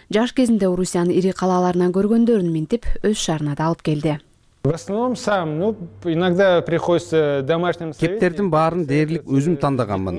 Speaker 23: Жаш кезинде Орусиянын ири калаларынан көргөндөрүн минтип, өз шаарына да алып келди.
Speaker 24: В основном сам, ну, иногда приходится домашним советникам.
Speaker 22: Кептердин баарын дээрлик өзүм тандаганмын.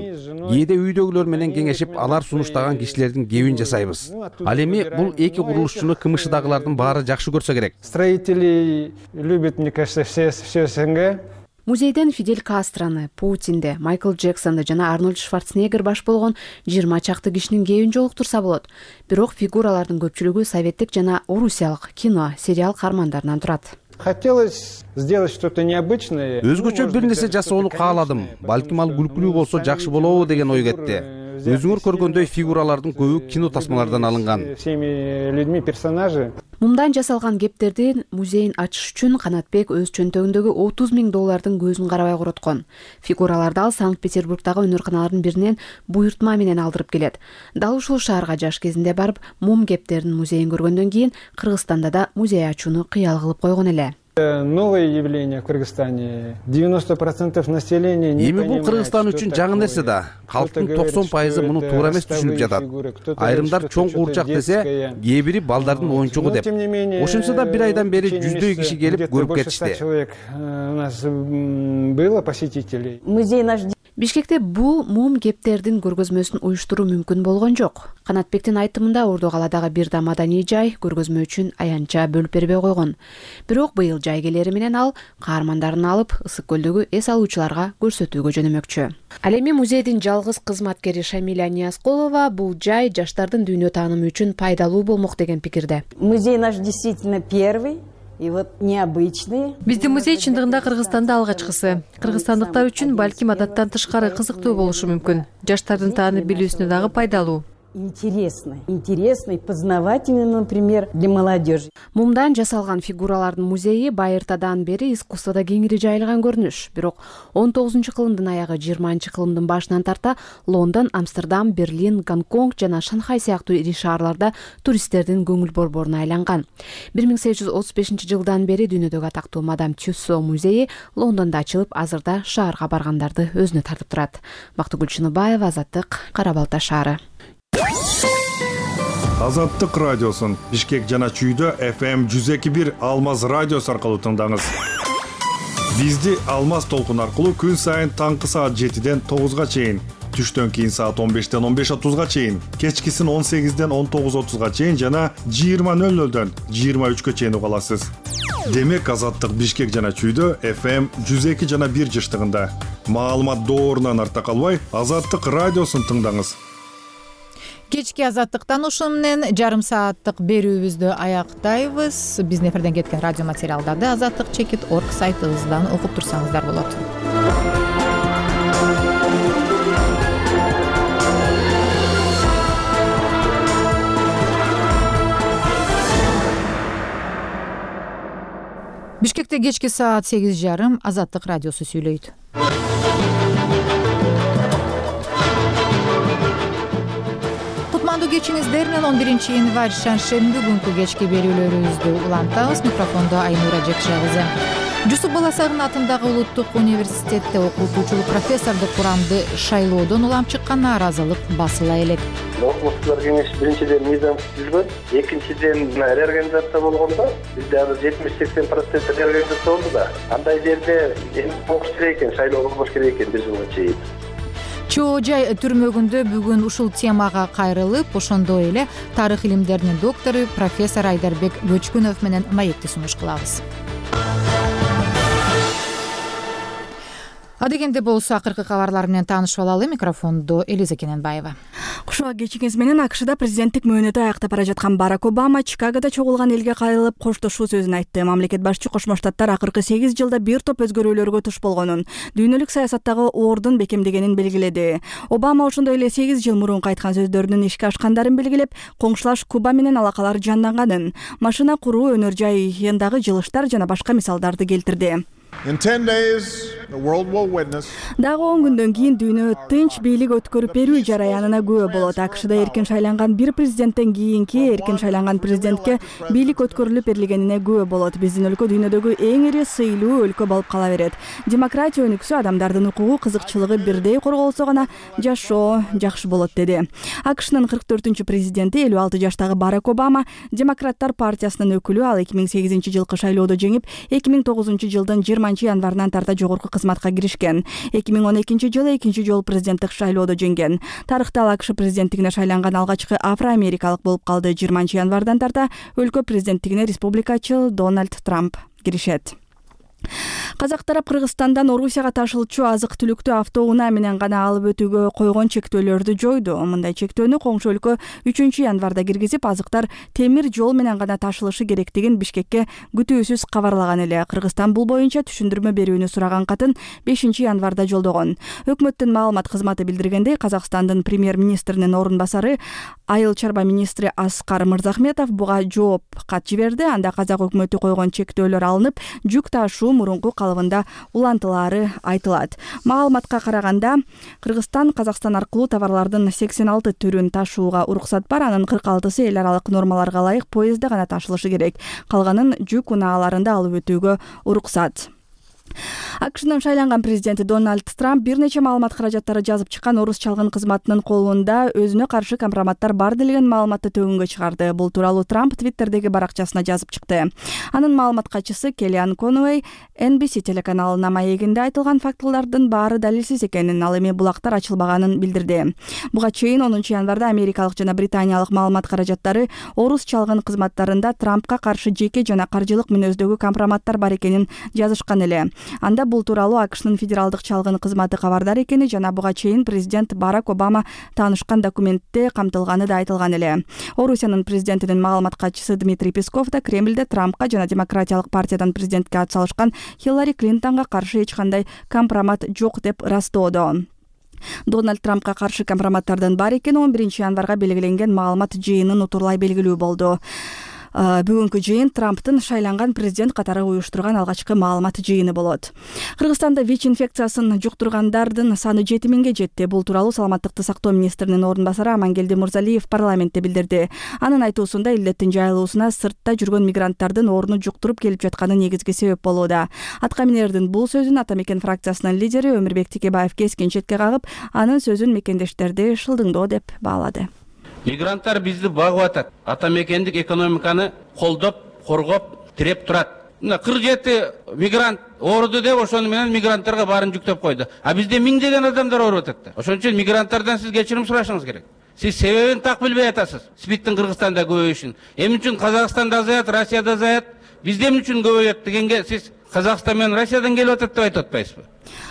Speaker 22: Кээде үйдөгүлөр менен кеңешип, алар сунуштаган кишилердин кебин жасайбыз. Ал эми бул эки курулушчуну кымышыдагылардын баары жакшы көрсө керек.
Speaker 24: Строители любят, мне кажется, все все СНГ.
Speaker 23: Музейден Фидель Кастроны, Путинди, Майкл Джексонду жана Арнольд Шварценеггер баш болгон жыйырма чакты кишинин кебин жолуктурса болот. Бирок фигуралардын көпчүлүгү советтик жана орусиялык кино, сериал каармандарынан турат.
Speaker 24: Хотелось сделать что-то необычное.
Speaker 22: Өзгөчө бир нерсе жасоону кааладым. Балким ал күлкүлүү болсо жакшы болобу деген ой кетти. Өзүңөр көргөндөй фигуралардын көбү кино тасмалардан алынган.
Speaker 24: Всеми людьми персонажи.
Speaker 23: Мумдан жасалган кептердин музейин ачыш үчүн Канатбек өз чөнтөгүндөгү отуз миң доллардын көзүн карабай короткон. Фигураларды ал Санкт-Петербургдагы өнөрканалардын биринен буйртма менен алдырып келет. Дал ушул шаарга жаш кезинде барып, мум кептердин музейин көргөндөн кийин Кыргызстанда да музей ачууну кыял кылып койгон эле.
Speaker 24: Новое явление в Кыргызстане. девяносто процентов населения не
Speaker 22: понимает. Эми бул Кыргызстан үчүн жаңы нерсе да. Калктын токсон пайызы муну туура эмес түшүнүп жатат. Айрымдар чоң куурчак десе, кээ бири балдардын оюнчугу деп. Ошентсе да бир айдан бери жүздөй киши келип көрүп кетишти.
Speaker 24: У нас было посетителей.
Speaker 23: Музей наш Бишкекте бул мум кептердин көргөзмөсүн уюштуруу мүмкүн болгон жок. Канатбектин айтымында Орду калаадагы бир да маданий жай көргөзмө үчүн аянтча бөлүп бербей койгон. Бирок быйыл жай келери менен ал каармандарын алып Ысык көлдөгү эс алуучуларга көрсөтүүгө жөнөмөкчү. Ал эми музейдин жалгыз кызматкери Шамиля Ниязкулова бул жай жаштардын дүйнө таанымы үчүн пайдалуу болмок деген пикирде.
Speaker 25: Музей наш действительно первый. И вот необычные.
Speaker 26: Биздин музей чындыгында Кыргызстанда алгачкысы. Кыргызстандыктар үчүн балким адаттан тышкары кызыктуу болушу мүмкүн. Жаштардын таанып билүүсүнө дагы пайдалуу.
Speaker 25: Интересно, интересно и познавательно, например, для молодежи.
Speaker 23: Мумдан жасалган фигуралардын музейи байыртадан бери искусствода кеңири жайылган көрүнүш. Бирок он тогузунчу кылымдын аягы жыйырманчы кылымдын башынан тарта Лондон, Амстердам, Берлин, Гонконг жана Шанхай сыяктуу ири шаарларда туристтердин көңүл борборуна айланган. бир миң сегиз жүз отуз бешинчи жылдан бери дүйнөдөгү атактуу мадам Тюссо музейи Лондондо ачылып, азырда шаарга баргандарды өзүнө тартып турат. Бактыгүл Чыныбаева, Азаттык, Кара Балта шаары.
Speaker 2: Азаттык радиосун Бишкек жана Чүйдө эф эм жүз эки бир Алмаз радиосу аркылуу тыңдаңыз. Бизди Алмаз толкун аркылуу күн сайын таңкы саат жетиден тогузга чейин, түштөн кийин саат он бештен он беш отузга чейин, кечкисин он сегизден он тогуз отузга чейин жана жыйырма нөл нөлдөн жыйырма үчкө чейин уга аласыз. Демек Азаттык Бишкек жана Чүйдө эф эм жүз эки жана бир жыштыгында. Маалымат доорунан арта калбай, Азаттык радиосун тыңдаңыз.
Speaker 1: Кечки Азаттыктан ушуну менен жарым сааттык берүүбүздү аяктайбыз. Биздин эфирден кеткен радио материалдарды азаттык чекит точка орг сайтыбыздан окуп турсаңыздар болот. Бишкекте кечки саат сегиз жарым Азаттык радиосу сүйлөйт. Кечиңиздер менен он биринчи январь шаршемби күнкү кечки берүүлөрүбүздү улантабыз. Микрофондо Айнура Жекшебизе. Жусуп Баласагын атындагы Улуттук университетте окутуучулук профессордук курамды шайлоодон улам чыккан нааразылык басыла элек.
Speaker 4: Окумуштуулар кеңеши биринчиден мыйзам түзүлгөн, экинчиден реорганизация болгондо бизде азыр жетимиш сексен процент реорганизация болду да. Андай жерде эми болуш керек экен, шайлоо болуш керек экен бир жылга чейин.
Speaker 1: Чоо жай түрмөгүндө бүгүн ушул темага кайрылып, ошондой эле тарых илимдеринин доктору профессор Айдарбек Бөчкүнов менен маекти сунуш кылабыз. Адегенде болсо акыркы кабарлар менен таанышып алалы. Микрофондо Элиза Кененбаева.
Speaker 6: Кушуга кечиңиз менен АКШда президенттик мөөнөтү аяктап бара жаткан Барак Обама Чикагода чогулган элге кайрылып коштошуу сөзүн айтты. Мамлекет башчы Кошмо Штаттар акыркы сегиз жылда бир топ өзгөрүүлөргө туш болгонун, дүйнөлүк саясаттагы ордун бекемдегенин белгиледи. Обама ошондой эле сегиз жыл мурун айткан сөздөрүнүн ишке ашкандарын белгилеп, коңшулаш Куба менен алакалар жанданганын, машина куруу өнөр жайындагы жылыштар жана башка мисалдарды келтирди. Дагы он күндөн кийин дүйнө тынч бийлик өткөрүп берүү жараянына күбө болот. АКШда эркин шайланган бир президенттен кийинки эркин шайланган президентке бийлик өткөрүлүп берилгенине күбө болот. Биздин өлкө дүйнөдөгү эң ири сыйлуу өлкө болуп кала берет. Демократия өнүксө, адамдардын укугу, кызыкчылыгы бирдей корголсо гана жашоо жакшы болот, деди. АКШнын кырк төртүнчү президенти элүү алты жаштагы Барак Обама Демократтар партиясынын өкүлү. Ал эки миң сегизинчи жылкы шайлоодо жеңип, эки миң тогузунчу жылдын жыйырманчы январынан тарта жогорку кызматка киришкен. эки миң он экинчи жылы экинчи жолу президенттик шайлоодо жеңген. Тарыхта ал АКШ президенттигине шайланган алгачкы афро-америкалык болуп калды. жыйырманчы январдан тарта өлкө президенттигине республикачыл Дональд Трамп киришет. Казак тарап Кыргызстандан Орусияга ташылчу азык-түлүктү автоунаа менен гана алып өтүүгө койгон чектөөлөрдү жойду. Мындай чектөөнү коңшу өлкө үчүнчү январда киргизип, азыктар темир жол менен гана ташылышы керектигин Бишкекке күтүүсүз кабарлаган эле. Кыргызстан бул боюнча түшүндүрмө берүүнү сураган катын бешинчи январда жолдогон. Өкмөттүн маалымат кызматы билдиргендей, Казакстандын премьер-министринин орун басары Айыл чарба министри Аскар Мырзахметов буга жооп кат жиберди. Анда казак өкмөтү койгон чектөөлөр алынып, жүк ташуу мурунку калыбында улантылаары айтылат. Маалыматка караганда, Кыргызстан Казакстан аркылуу товарлардын сексен алты түрүн ташууга уруксат бар. Анын кырк алтысы эл аралык нормаларга ылайык поездде гана ташылышы керек. Калганын жүк унааларында алып өтүүгө уруксат. АКШнын шайланган президенти Дональд Трамп бир нече маалымат каражаттары жазып чыккан орус чалгын кызматынын колунда өзүнө каршы компроматтар бар делген маалыматты төгүнгө чыгарды. Бул тууралуу Трамп Твиттердеги баракчасына жазып чыкты. Анын маалымат катчысы Келлиан Конуэй Эн Би Си телеканалына маегинде айтылган фактылардын баары далилсиз экенин, ал эми булактар ачылбаганын билдирди. Буга чейин онунчу январда америкалык жана британиялык маалымат каражаттары орус чалгын кызматтарында Трампка каршы жеке жана каржылык мүнөздөгү компроматтар бар экенин жазышкан эле. Анда бул тууралуу АКШнын федералдык чалгын кызматы кабардар экени жана буга чейин президент Барак Обама таанышкан документте камтылганы да айтылган эле. Орусиянын президентинин маалымат катчысы Дмитрий Песков да Кремльде Трампка жана Демократиялык партиядан президентке атсалышкан Хиллари Клинтонго каршы эч кандай компромат жок деп ырастоодо. Дональд Трампка каршы компроматтардын бар экени он биринчи январга белгиленген маалымат жыйынын утурлай белгилүү болду. Бүгүнкү жыйын Трамптын шайланган президент катары уюштурган алгачкы маалымат жыйыны болот. Кыргызстанда ВИЧ инфекциясын жуктургандардын саны жети миңге жетти. Бул тууралуу саламаттыкты сактоо министринин орун басары Амангелди Мурзалиев парламентте билдирди. Анын айтуусунда илдеттин жайылуусуна сыртта жүргөн мигранттардын орну жуктуруп келип жатканы негизги себеп болууда. Атка минердин бул сөзүн Ата Мекен фракциясынын лидери Өмүрбек Текебаев кескин четке кагып, анын сөзүн мекендештерди шылдыңдоо деп баалады.
Speaker 7: Мигранттар бизди багып атат. Ата мекендик экономиканы колдоп, коргоп, тиреп турат. Мына кырк жети мигрант ооруду деп ошону менен мигранттарга баарын жүктөп койду. А бизде миңдеген адамдар ооруп атат да. Ошон үчүн мигранттардан сиз кечирим сурашыңыз керек. Сиз себебин так билбей атасыз. СПИДтин Кыргызстанда көбөйүшүн. Эмне үчүн Казакстанда азаят, Россияда азаят, бизде эмне үчүн көбөйөт дегенге сиз Казакстан менен Россиядан келип атат деп айтып атпайсызбы?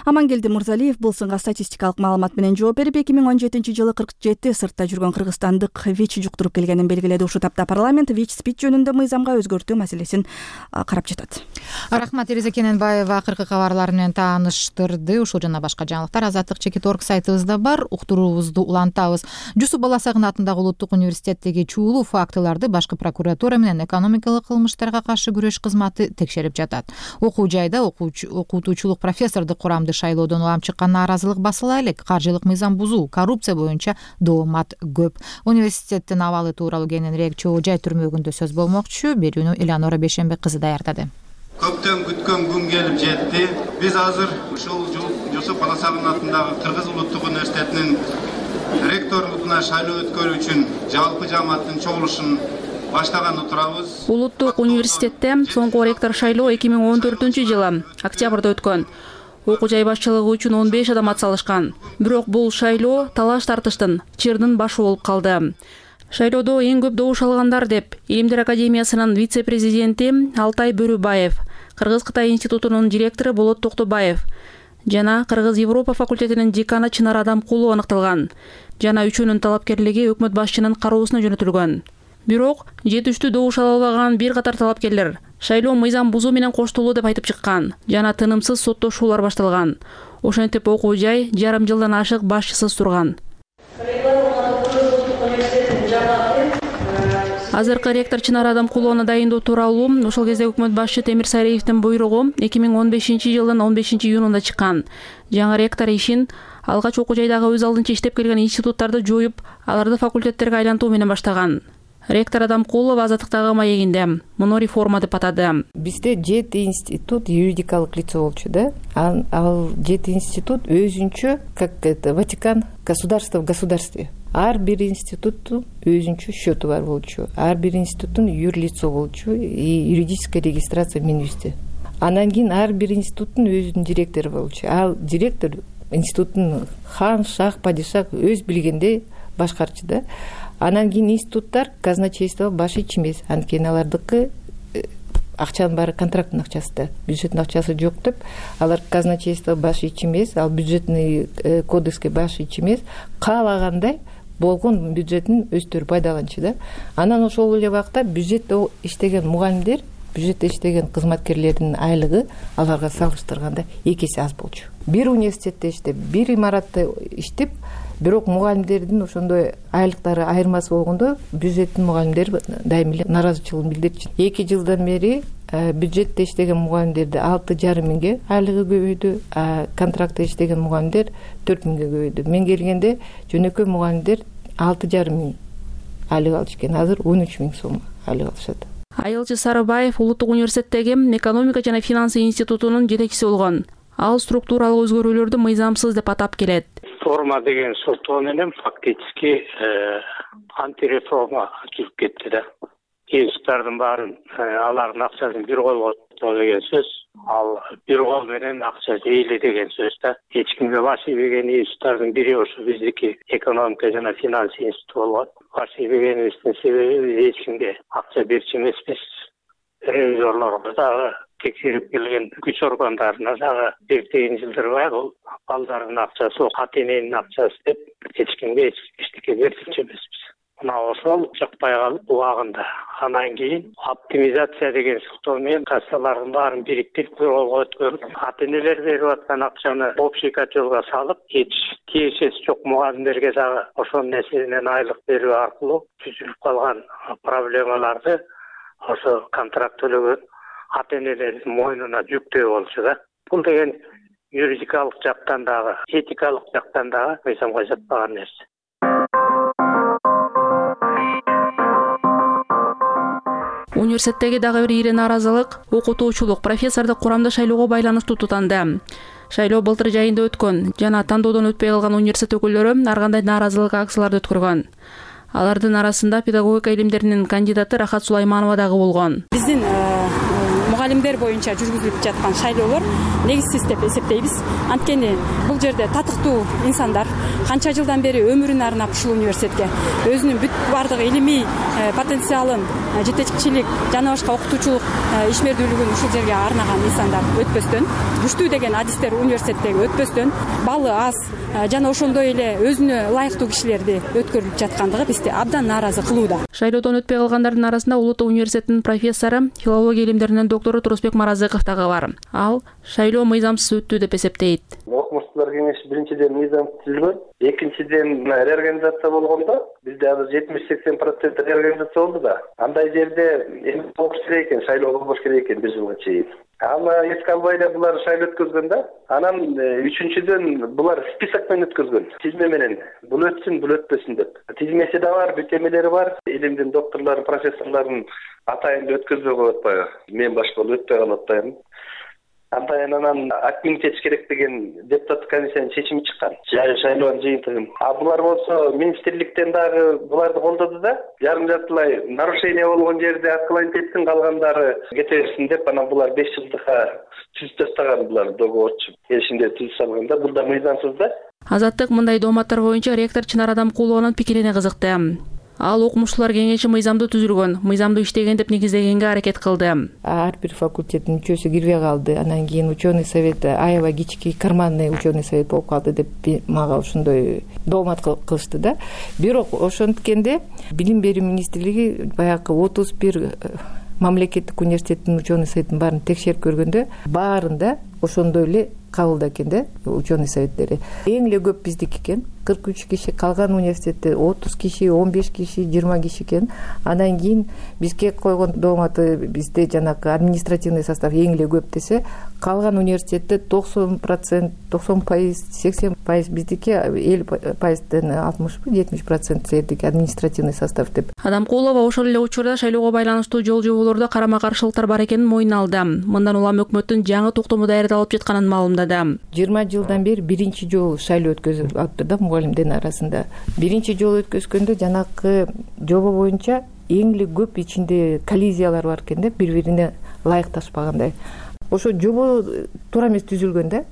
Speaker 6: Амангелди Мырзалиев бул сынга статистикалык маалымат менен жооп берип, эки миң он жетинчи жылы кырк жети сыртта жүргөн кыргызстандык ВИЧ жуктуруп келгенин белгиледи. Ушул тапта парламент ВИЧ СПИД жөнүндө мыйзамга өзгөртүү маселесин карап жатат.
Speaker 1: Рахмат, Тереза Кененбаева акыркы кабарлар менен тааныштырды. Ушул жана башка жаңылыктар азаттык чекит орг сайтыбызда бар. Уктуруубузду улантабыз. Жусуп Баласагын атындагы Улуттук университеттеги чуулуу фактыларды башкы прокуратура менен экономикалык кылмыштарга каршы күрөш кызматы текшерип жатат. Окуу жайда окутуучулук профессордук курамды шайлоодон улам чыккан нааразылык басыла элек. Каржылык мыйзам бузуу, коррупция боюнча доомат көп. Университеттин абалы тууралуу кененирээк чогуу жай түрмөгүндө сөз болмокчу. Берүүнү Элеонора Бейшенбек кызы даярдады.
Speaker 8: Көптөн күткөн күн келип жетти. Биз азыр ушул Жусуп Баласагын атындагы Кыргыз Улуттук университетинин ректорлугуна шайлоо өткөрүү үчүн жалпы жамааттын чогулушун баштаган турабыз.
Speaker 9: Улуттук университетте соңку ректор шайлоо эки миң он төртүнчү жылы октябрда өткөн. Окуу жай башчылыгы үчүн он беш адам атсалышкан. Бирок бул шайлоо талаш тартыштын чырдын башы болуп калды. Шайлоодо эң көп добуш алгандар деп Илимдер академиясынын вице-президенти Алтай Бөрүбаев, Кыргыз-Кытай институтунун директору Болот Токтобаев жана Кыргыз-Европа факультетинин деканы Чынар Адамкулу аныкталган. Жана үчөөнүн талапкерлиги өкмөт башчынын кароосуна жөнөтүлгөн. Бирок жетиштүү добуш ала албаган бир катар талапкерлер шайлоо мыйзам бузуу менен коштолуу деп айтып чыккан жана тынымсыз соттошуулар башталган. Ошентип окуу жай жарым жылдан ашык башчысыз турган. Азыркы ректор Чынар Адамкулууну дайындоо тууралуу ошол кезде өкмөт башчы Темир Сариевдин буйругу эки миң он бешинчи жылдын он бешинчи июнунда чыккан. Жаңы ректор ишин алгач окуу жайдагы өз алдынча иштеп келген институттарды жоюп, аларды факультеттерге айлантуу менен баштаган. Ректор Адамкулов Азаттыктагы маегинде муну реформа деп атады.
Speaker 10: Бизде жети институт юридикалык лицо болчу да. Ал жети институт өзүнчө, как это Ватикан, государство в государстве. Ар бир институттун өзүнчө счету бар болчу. Ар бир институттун юрлицо болчу и юридическая регистрация Минюсте. Анан кийин ар бир институттун өзүнүн директору болчу. Ал директор институттун хан, шах, падишах өз билгендей башкарчу да. Анан кийин институттар казначейство баш ич эмес. Анткени алардыкы акчанын баары контракттын акчасы да, бюджеттин акчасы жок деп, алар казначейство баш ич эмес, ал бюджетный кодекске баш ич эмес, каалагандай болгон бюджеттин өздөрү пайдаланчу да. Анан ошол эле убакта бюджетте иштеген мугалимдер, бюджетте иштеген кызматкерлердин айлыгы аларга салыштырганда эки эсе аз болчу. Бир университетте иштеп, бир имаратта иштеп, бирок мугалимдердин ошондой айлыктары айырмасы болгондо бюджеттин мугалимдери дайыма эле нааразычылыгын билдирчү. эки жылдан бери бюджетте иштеген мугалимдерди алты жарым миңге айлыгы көбөйдү, а контрактта иштеген мугалимдер төрт миңге көбөйдү. Мен келгенде жөнөкөй мугалимдер алты жарым миң айлык алчу экен, азыр он үч миң сом айлык алышат.
Speaker 9: Айылчы Сарыбаев Улуттук университеттеги экономика жана финансы институтунун жетекчиси болгон. Ал структуралык өзгөрүүлөрдү мыйзамсыз деп атап келет.
Speaker 11: Реформа деген соттоо менен фактически антиреформа жүрүп кетти да. Институттардын баарын алардын акчасын бир колго деген сөз, ал бир кол менен акча жейли деген сөз да. Эч кимге баш ийбеген институттардын бири ошо биздики экономика жана финанс институту болгон. Баш ийбегенибиздин себеби эч кимге акча берчү эмеспиз. Ревизорлорго дагы текшерип келген күч органдарына дагы бир жылдырбай бул балдардын акчасы, ата эненин акчасы деп эч кимге эчтеке берчү эмеспиз. Мына ошол жакпай калып убагында. Анан кийин оптимизация деген соттоо менен кассалардын баарын бириктирип колго өткөрүп, ата энелер берип аткан акчаны общий котелго салып, эч тиешеси жок мугалимдерге дагы ошол нерседен айлык берүү аркылуу түзүлүп калган проблемаларды ошо контракт төлөгөн ата энелердин мойнуна жүктөө болчу да. Бул деген юридикалык жактан дагы, этикалык жактан дагы мыйзамга жатпаган нерсе.
Speaker 9: Университеттеги дагы бир ири нааразылык окутуучулук профессордук курамда шайлоого байланыштуу тутанды. Шайлоо былтыр жайында өткөн жана тандоодон өтпөй калган университет өкүлдөрү ар кандай нааразылык акцияларды өткөргөн. Алардын арасында педагогика илимдеринин кандидаты Рахат Сулайманова дагы болгон.
Speaker 12: Биздин мугалимдер боюнча жүргүзүлүп жаткан шайлоолор негизсиз деп эсептейбиз. Анткени бул жерде татыктуу инсандар канча жылдан бери өмүрүн арнап ушул университетке өзүнүн бүт баардык илимий потенциалын, жетекчилик жана башка окутуучулук ишмердүүлүгүн ушул жерге арнаган инсандар өтпөстөн, күчтүү деген адистер университеттеги өтпөстөн, балы аз жана ошондой эле өзүнө ылайыктуу кишилерди өткөрүлүп жаткандыгы бизди абдан нааразы кылууда.
Speaker 9: Шайлоодон өтпөй калгандардын арасында Улуттук университетинин профессору, филология илимдеринин доктору Турусбек Маразыков дагы бар. Ал шайлоо мыйзамсыз өттү деп эсептейт.
Speaker 4: Окумуштуулар кеңеши биринчиден мыйзамсыз түзүлгөн, экинчиден реорганизация болгондо бизде азыр жетимиш сексен процент реорганизация болду да. Андай жерде эми болуш керек экен, шайлоо болбош керек экен бир жылга чейин. Аны эске албай эле булар шайлоо өткөзгөн да. Анан үчүнчүдөн булар список менен өткөзгөн. Тизме менен бул өтсүн, бул өтпөсүн деп. Тизмеси да бар, бүтөмөлөрү бар. Илимдин докторлору, профессорлорун атайын өткөзбөй коюп атпайбы? Мен башка өтпөй калып атпайбы? Антайын анан акмин чечиш керек деген депутаттык комиссиянын чечими чыккан. Шайлоонун жыйынтыгын. А булар болсо министрликтен дагы буларды колдоду да, жарым жартылай нарушение болгон жерде аткыланып кетсин, калгандары кете берсин деп, анан булар беш жылдыкка түзүп тастаган булар договорчу. Келишимде түзүп салганда, бул да мыйзамсыз да.
Speaker 9: Азаттык мындай дооматтар боюнча ректор Чынар Адамкулованын пикирине кызыкты. Ал окумуштуулар кеңеши мыйзамдуу түзүлгөн, мыйзамдуу иштеген деп негиздегенге аракет кылды.
Speaker 10: Ар бир факультеттин мүчөсү кирбей калды. Анан кийин ученый совет аябай кички карманный ученый совет болуп калды деп мага ошондой доомат кылышты да. Бирок ошонткенде билим берүү министрлиги баягы отуз бир мамлекеттик университеттин ученый советтин баарын текшерип көргөндө баарында ошондой эле кабылда экен да ученый советтери. Эң эле көп биздики экен, кырк үч киши, калган университетте отуз киши, он беш киши, жыйырма киши экен. Андан кийин бизге койгон дооматы бизде жанагы административный состав эң эле көп десе, калган университетте токсон процент, токсон пайыз, сексен пайыз биздики, элүү пайыздан алтымыш, жетимиш процент сиздики административный состав деп.
Speaker 9: Адамкулова ошол эле учурда шайлоого байланыштуу жол жоболордо карама-каршылыктар бар экенин мойнуна алды. Мындан улам өкмөттүн жаңы токтому даярдалып жатканын маалымдады.
Speaker 10: жыйырма жылдан бери биринчи жолу шайлоо өткөзүп атты да мугалимдердин арасында. Биринчи жолу өткөзгөндө жанагы жобо боюнча эң эле көп ичинде коллизиялар бар экен да, бири-бирине ылайыкташпагандай. Ошо жобо туура эмес түзүлгөн да.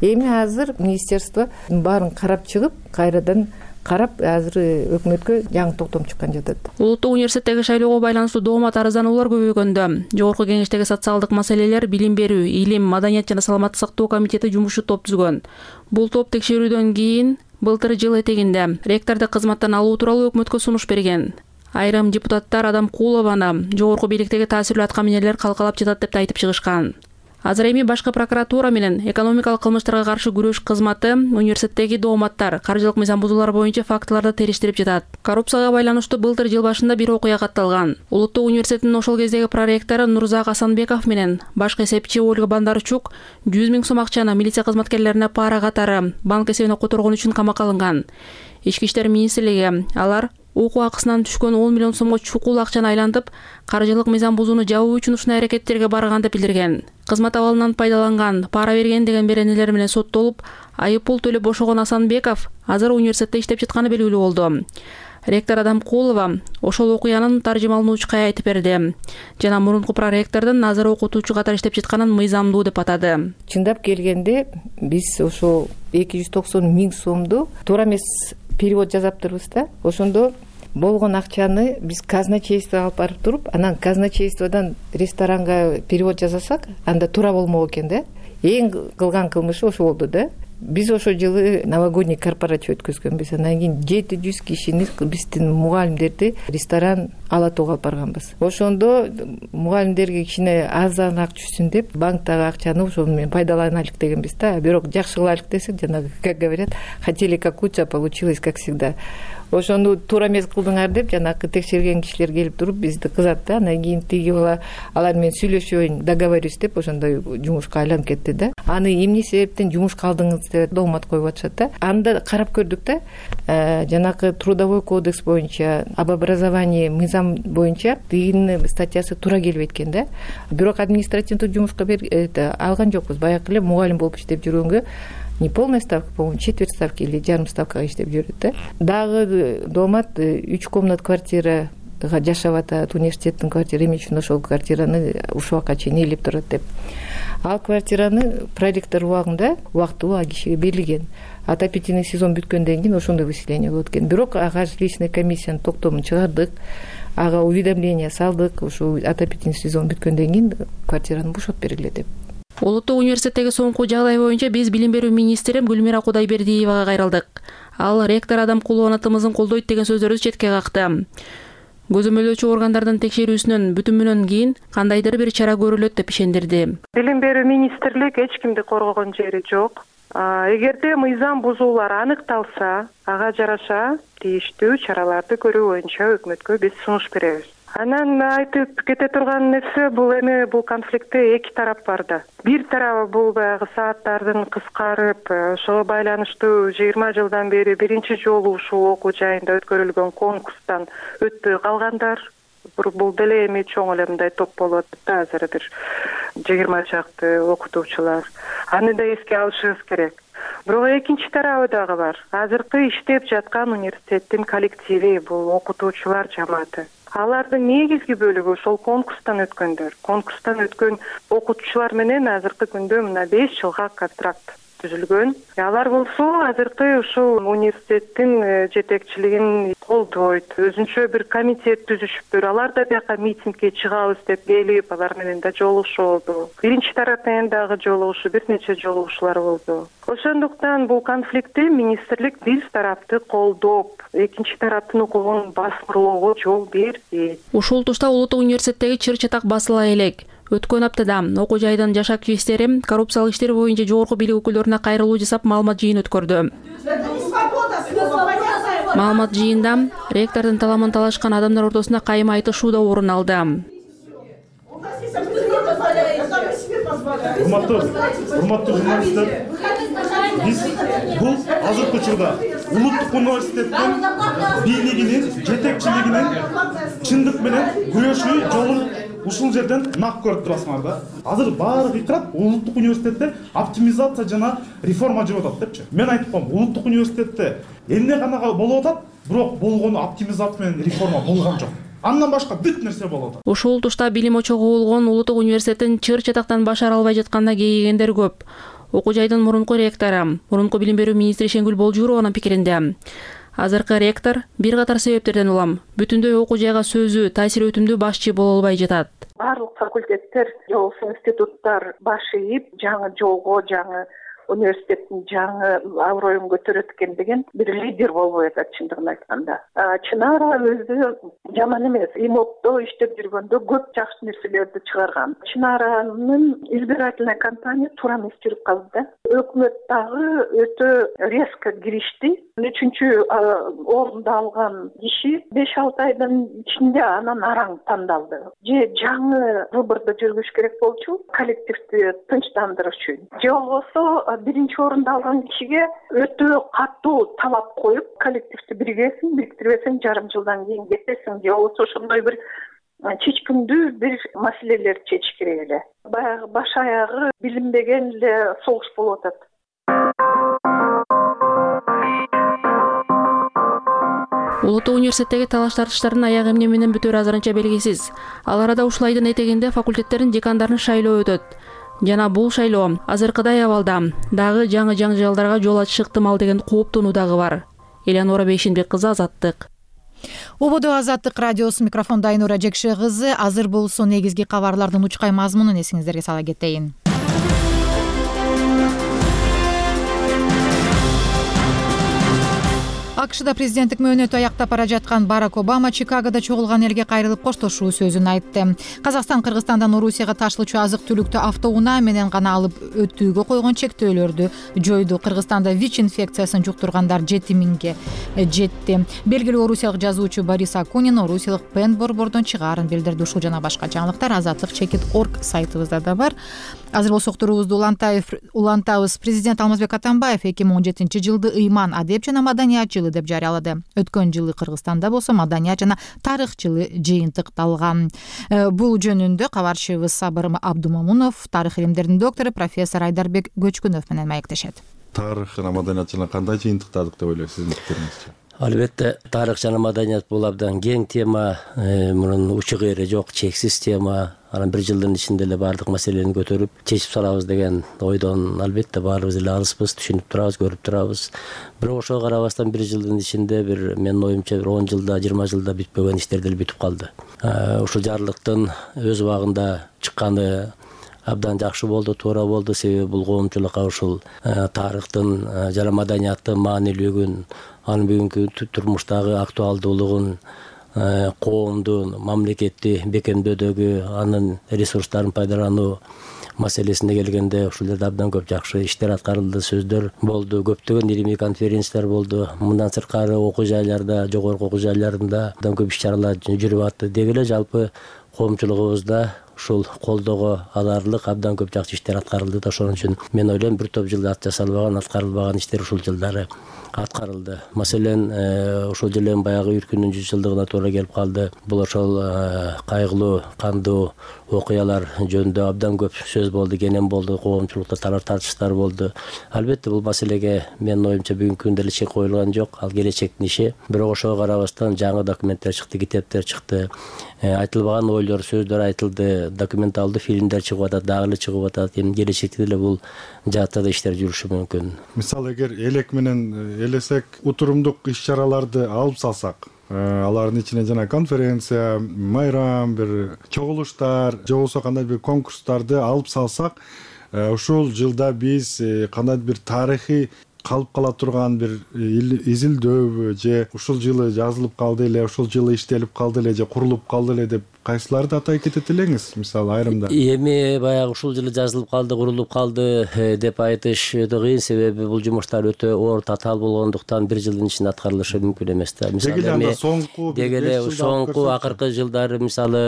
Speaker 10: Эми азыр министерство баарын карап чыгып, кайрадан карап азыр өкмөткө жаңы токтом чыккан жатат.
Speaker 9: Улуттук университеттеги шайлоого байланыштуу доомат арыздануулар көбөйгөндө Жогорку кеңештеги социалдык маселелер, билим берүү, илим, маданият жана саламаттык сактоо комитети жумушу топ түзгөн. Бул топ текшерүүдөн кийин былтыр жыл этегинде ректорду кызматтан алуу тууралуу өкмөткө сунуш берген. Айрым депутаттар Адамкулованы жогорку бийликтеги таасирлүү аткаминерлер калкалап жатат деп айтып чыгышкан. Азыр эми башкы прокуратура менен экономикалык кылмыштарга каршы күрөш кызматы университеттеги дооматтар, каржылык мыйзам бузуулар боюнча фактыларды териштирип жатат. Коррупцияга байланыштуу былтыр жыл башында бир окуя катталган. Улуттук университеттин ошол кездеги проректору Нурзак Асанбеков менен башкы эсепчи Ольга Бандарчук жүз миң сом акчаны милиция кызматкерлерине пара катары банк эсебине которгон үчүн камакка алынган. Ички иштер министрлиги алар окуу акысынан түшкөн он миллион сомго чукул акчаны айлантып, каржылык мыйзам бузууну жабуу үчүн ушундай аракеттерге барган деп билдирген. Кызмат абалынан пайдаланган, пара берген деген беренелер менен соттолуп, айып пул төлөп бошогон Асанбеков азыр университетте иштеп жатканы белгилүү болду. Ректор Адамкулова ошол окуянын таржымалануучуга айтып берди жана мурунку проректордун азыр окутуучу катары иштеп жатканын мыйзамдуу деп атады.
Speaker 10: Чындап келгенде биз ошол эки жүз токсон миң сомду туура эмес перевод жазаптырбыз да. Ошондо болгон акчаны биз казначействого алып барып туруп, анан казначействодон ресторанга перевод жасасак, анда туура болмок экен да. Эң кылган кылмышы ошо болду да. Биз ошол жылы новогодний корпоратив өткөзгөнбүз. Анан кийин жети жүз кишини биздин мугалимдерди ресторан Ала Тоого алып барганбыз. Ошондо мугалимдерге кичине арзаныраак түшсүн деп банктагы акчаны ошол менен пайдаланайлык дегенбиз да. Бирок жакшы кылайлык десек, жанагы, как говорят, хотели как лучше, получилось как всегда. Ошону туура эмес кылдыңар деп жанагы текшерген кишилер келип туруп бизди кызат да. Анан кийин тиги бала алар менен сүйлөшөйүн, договорюсь деп ошондой жумушка айланып кетти да. Аны эмне себептен жумушка алдыңыз деп доомат коюп атышат да. Анда карап көрдүк да. Жанагы трудовой кодекс боюнча, об образовании мыйзам боюнча тигинин статьясы туура келбейт экен да. Бирок административдик жумушка алган жокпуз. Баягы эле мугалим болуп иштеп жүргөнгө не полная ставка, по-моему, четверть ставки или жарым ставкага иштеп жүрөт да. Дагы доомат үч комнат квартирага жашап атат, университеттин квартира эми үчүн ошол квартираны ушул убакка чейин ээлеп турат деп. Ал квартираны проректор убагында убактылуу ал кишиге берилген. Отопительный сезон бүткөндөн кийин ошондой выселение болот экен. Бирок ага жилищный комиссиянын токтомун чыгардык, ага уведомление салдык, ушул отопительный сезон бүткөндөн кийин квартираны бошотуп бергиле деп.
Speaker 9: Улуттук университеттеги соңку жагдай боюнча биз билим берүү министри Гүлмира Кудайбердиевага кайрылдык. Ал ректор Адам Кулубанатымыздын колдойт деген сөздөрү четке какты. Көзөмөлдөөчү органдардын текшерүүсүнөн бүтүмүнөн кийин кандайдыр бир чара көрүлөт деп ишендирди.
Speaker 13: Билим берүү министрлик эч кимди коргогон жери жок. Эгерде мыйзам бузуулар аныкталса, ага жараша тийиштүү чараларды көрүү боюнча өкмөткө биз сунуш беребиз. Анан айтып кете турган нерсе бул эми бул конфликтте эки тарап бар да. Бир тарабы бул баягы сааттардын кыскарып, ошого байланыштуу жыйырма жылдан бери биринчи жолу ушул окуу жайында өткөрүлгөн конкурстан өтпөй калгандар. Бул деле эми чоң эле мындай топ болуп атат да, азыр бир жыйырма чакты окутуучулар. Аны да эске алышыбыз керек. Бирок экинчи тарабы дагы бар. Азыркы иштеп жаткан университеттин коллективи, бул окутуучулар жамааты. Алардын негизги бөлүгү ошол конкурстан өткөндөр. Конкурстан өткөн окутуучулар менен азыркы күндө мына беш жылга контракт түзүлгөн. Алар болсо азыркы ушул университеттин жетекчилигин колдойт. Өзүнчө бир комитет түзүшүптүр. Алар да бияка митингге чыгабыз деп келип, алар менен да жолугушуулду. Биринчи тарап менен дагы жолугушуу, бир нече жолугушуулар болду. Ошондуктан бул конфликтти министрлик биз тарапты колдоп, экинчи тараптын укугун баскыроого жол берди.
Speaker 9: Ушул тушта Улуттук университеттеги чыр чатак басыла элек. Өткөн аптада окуу жайдын жаш активисттери коррупциялык иштер боюнча жогорку бийлик өкүлдөрүнө кайрылуу жасап маалымат жыйын өткөрдү. Маалымат жыйында ректордун таламын талашкан адамдар ортосунда кайым айтышуу да орун алды.
Speaker 14: Урматтуу, урматтуу журналисттер, биз бул азыркы учурда Улуттук университеттин бийлигинин, жетекчилигинин чындык менен күрөшүү жолун ушул жерден нак көрүп турасыңар да. Азыр баары кыйкырат Улуттук университетте оптимизация жана реформа жүрүп атат депчи. Мен айтып коем, Улуттук университетте эмне гана болуп атат, бирок болгону оптимизация менен реформа болгон жок. Андан башка бүт нерсе болот.
Speaker 9: Ушул тушта билим очогу болгон Улуттук университеттин чыр чатактан баш ара албай жатканда кейигендер көп. Окуу жайдын мурунку ректору, мурунку билим берүү министри Шенгүл Болжурованын пикиринде азыркы ректор бир катар себептерден улам бүтүндөй окуу жайга сөзү, таасир өтүмдүү башчы боло албай жатат.
Speaker 13: Барлык факультеттер же болбосо институттар баш ийип, жаңы жолго, жаңы университеттин жаңы аброюн көтөрөт экен деген бир лидер болбой атат чындыгын айтканда. Чынара өзү жаман эмес. ИМОКто иштеп жүргөндө көп жакшы нерселерди чыгарган. Чынаранын избирательный кампания туура эмес жүрүп калды да. Өкмөт дагы өтө резко киришти. Үчүнчү орунду алган киши беш алты айдын ичинде анан араң тандалды. Же жаңы выборду жүргүш керек болчу, коллективди тынчтандырыш үчүн. Же болбосо биринчи орунду алган кишиге өтө катуу талап коюп, коллективди биргесиң, бириктирбесең жарым жылдан кийин кетесиң, же болбосо ошондой бир чечкиндүү бир маселелерди чечиш керек эле. Баягы баш аягы билинбеген эле согуш болуп атат.
Speaker 9: Улуттук университеттеги талаш тартыштардын аягы эмне менен бүтөрү азырынча белгисиз. Ал арада ушул айдын этегинде факультеттердин декандарын шайлоо өтөт. Жана бул шайлоо азыркыдай абалда дагы жаңы жаңжалдарга жол ачышы ыктымал деген кооптонуу дагы бар. Элеонора Бейшенбек кызы, Азаттык.
Speaker 1: Ободо Азаттык радиосу, микрофондо Айнура Жекше кызы. Азыр болсо негизги кабарлардын учкай мазмунун эсиңиздерге сала кетейин. АКШда президенттик мөөнөтү аяктап бара жаткан Барак Обама Чикагода чогулган элге кайрылып коштошуу сөзүн айтты. Казакстан Кыргызстандан Орусияга ташылуучу азык-түлүктү автоунаа менен гана алып өтүүгө койгон чектөөлөрдү жойду. Кыргызстанда ВИЧ инфекциясын жуктургандар жети миңге жетти. Белгилүү орусиялык жазуучу Борис Акунин орусиялык Пен борбордон чыгаарын билдирди. Ушул жана башка жаңылыктар азаттык чекит точка орг сайтыбызда да бар. Азыр болсо уктуруубузду улантабыз. Президент Алмазбек Атамбаев эки миң он жетинчи жылды ыйман, адеп жана маданият жылы деп жарыялады. Өткөн жылы Кыргызстанда болсо маданият жана тарых жылы жыйынтыкталган. Бул жөнүндө кабарчыбыз Сабыр Абдумамунов тарых илимдеринин доктору профессор Айдарбек Көчкүнов менен маектешет.
Speaker 2: тарых жана маданият жана кандай жыйынтыктадык деп ойлойсуз сиздин пикириңизче?
Speaker 15: Албетте тарых жана маданият бул абдан кең тема, мунун учу кайры жок, чексиз тема. Анан бир жылдын ичинде эле баардык маселени көтөрүп чечип салабыз деген ойдон албетте баарыбыз эле алыспыз, түшүнүп турабыз, көрүп турабыз. Бирок ошого карабастан бир жылдын ичинде бир менин оюмча бир он жылда, жыйырма жылда бүтпөгөн иштер деле бүтүп калды. Ушул жарлыктын өз убагында чыкканы абдан жакшы болду, туура болду. Себеби бул коомчулукка ушул тарыхтын жана маданияттын маанилүүлүгүн, анын бүгүнкү турмуштагы актуалдуулугун, коомдун, мамлекетти бекемдөөдөгү анын ресурстарын пайдалануу маселесине келгенде ушул жерде абдан көп жакшы иштер аткарылды, сөздөр болду, көптөгөн илимий конференциялар болду. Мындан сырткары окуу жайларда, жогорку окуу жайларында абдан көп иш-чаралар жүрүп атты. Деги эле жалпы коомчулугубузда ушул колдоого аларлык абдан көп жакшы иштер аткарылды да. Ошон үчүн мен ойлойм бир топ жылда ат жасалбаган, аткарылбаган иштер ушул жылдары аткарылды. Маселен, ошол жылы баягы Үркүндүн жүз жылдыгына туура келип калды. Бул ошол кайгылуу, кандуу окуялар жөнүндө абдан көп сөз болду, кенен болду, коомчулукта талаш тартыштар болду. Албетте бул маселеге менин оюмча бүгүнкү күндө эле чек коюлган жок, ал келечектин иши. Бирок ошого карабастан жаңы документтер чыкты, китептер чыкты, айтылбаган ойлор, сөздөр айтылды, документалдуу фильмдер чыгып атат, дагы эле чыгып атат. Эми келечекте деле бул жаатта да иштер жүрүшү мүмкүн.
Speaker 2: Мисалы, эгер элек менен элесек утурумдук иш-чараларды алып салсак, алардын ичине жана конференция, майрам, бир чогулуштар, же болбосо кандай бир конкурстарды алып салсак, ушул жылда биз кандайдыр бир тарыхый калып кала турган бир изилдөөбү, же ушул жылы жазылып калды эле, ушул жылы иштелип калды эле, же курулуп калды эле деп кайсыларды атай кетет элеңиз? Мисалы, айрымда
Speaker 15: эми баягы ушул жылы жазылып калды, курулуп калды деп айтыш кыйын. Себеби бул жумуштар өтө оор, татаал болгондуктан бир жылдын ичинде аткарылышы мүмкүн эмес да.
Speaker 2: Деги эле соңку
Speaker 15: деги эле соңку акыркы жылдары мисалы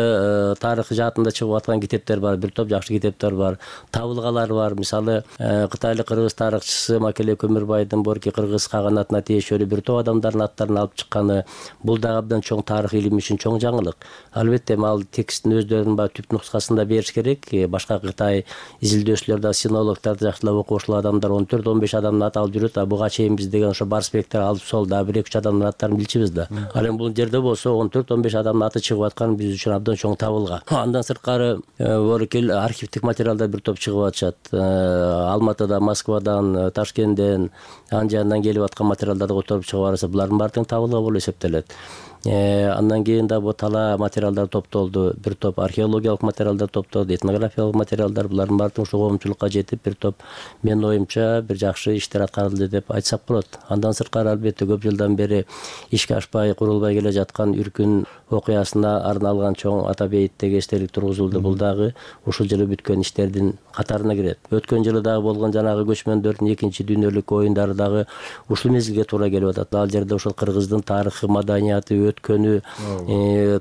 Speaker 15: тарых жаатында чыгып аткан китептер бар, бир топ жакшы китептер бар, табылгалар бар. Мисалы, кытайлык кыргыз тарыхчысы Макеле Көмүрбайдын Борки кыргыз каганатына тиешелүү бир топ адамдардын аттарын алып чыкканы, бул дагы абдан чоң тарых илими үчүн чоң жаңылык. Албетте ал тексттин өздөрүнүн баягы түп нускасында бериш керек. Башка Кытай изилдөөчүлөр, синологдор, жакшылап окуучу адамдар он төрт он беш адамдын аты алып жүрөт. А буга чейин биз деген ошо барспектер алып сол да бир эки үч адамдын аттарын билчүбүз да. Ал эми бул жерде болсо он төрт он беш адамдын аты чыгып аткан биз үчүн абдан чоң табылга. Андан сырткары Боркел архивдик материалдар бир топ чыгып атышат. Алматыда, Москвадан, Ташкенттен, Анжандан келип аткан материалдарды которуп чыгып араса, булардын баары тең табылга болуп эсептелет. Андан кийин да бу тала материалдар топтолду, бир топ археологиялык материалдар топтолду, этнографиялык материалдар, булардын баары ушул коомчулукка жетип, бир топ менин оюмча бир жакшы иштер аткарылды деп айтсак болот. Андан сырткары албетте көп жылдан бери ишке ашпай, курулбай келе жаткан Үркүн окуясына арналган чоң ата бейиттеги эстелик тургузулду. Бул дагы ушул жылы бүткөн иштердин катарына кирет. Өткөн жылы дагы болгон жанагы көчмөндөрдүн экинчи дүйнөлүк оюндары дагы ушул мезгилге туура келип атат. Ал жерде ушул кыргыздын тарыхы, маданияты, өткөнү,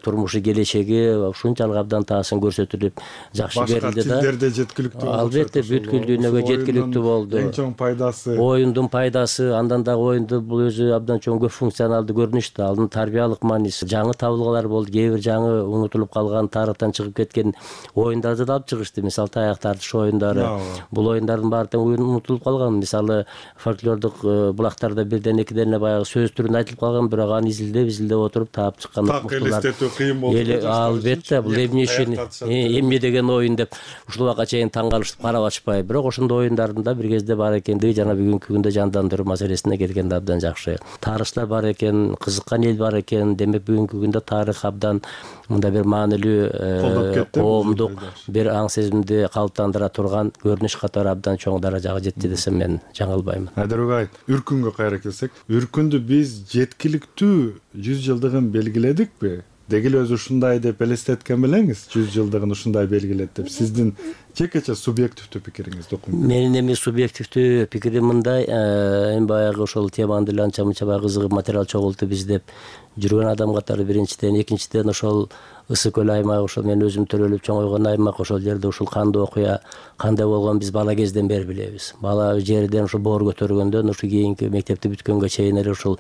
Speaker 15: турмушу, келечеги ушунчалык абдан таасын көрсөтүлүп жакшы берилди да.
Speaker 2: Башка тилдерде жеткиликтүү.
Speaker 15: Албетте бүткүл дүйнөгө жеткиликтүү болду.
Speaker 2: Эң чоң пайдасы
Speaker 15: оюндун пайдасы, андан дагы оюнду бул өзү абдан чоң көп функционалдуу көрүнүш да. Анын тарбиялык мааниси, жаңы табылгалар болду, кээ бир жаңы унутулуп калган, тарыхтан чыгып кеткен оюндарды да алып чыгышты. Мисалы, таяк тартыш оюндары. Бул оюндардын баары тең унутулуп калган. Мисалы, фольклордук булактарда бирден экиден эле баягы сөз түрүндө айтылып калган, бирок аны изилдеп, изилдеп отуруп таап чыккан
Speaker 2: муктулар. Так элестетүү кыйын болду.
Speaker 15: Албетте, бул эмне үчүн, эмне деген оюн деп ушул убакка чейин таң калышып карап атышпай. Бирок ошондой оюндардын да бир кезде бар экендиги жана бүгүнкү күндө жандандыруу маселесине келгенде абдан жакшы. Тарыхчылар бар экен, кызыккан эл бар экен. Демек бүгүнкү күндө тарых абдан мында бир маанилүү коомдук бир аң сезимди калыптандыра турган көрүнүш катары абдан чоң даражага жетти десем мен жаңылбаймын.
Speaker 2: Айдарбек, Үркүнгө кайра келсек, Үркүндү биз жеткиликтүү жүз жылдыгын белгиледикпи? Деги эле өзү ушундай деп элестеткен белеңиз, жүз жылдыгын ушундай белгилет деп. Сиздин жекече субъективдүү пикириңиз докум.
Speaker 15: Менин эми субъективдүү пикирим мындай, эми баягы ошол теманы деле анча мынча баягы кызыгып материал чогултуп издеп жүргөн адам катары биринчиден, экинчиден ошол Ысык көл аймагы, ошол мен өзүм төрөлүп чоңойгон аймак, ошол жерде ушул кандуу окуя кандай болгон биз бала кезден бери билебиз. Бала жерден ушул боор көтөргөндөн ушу кийинки мектепти бүткөнгө чейин эле ушул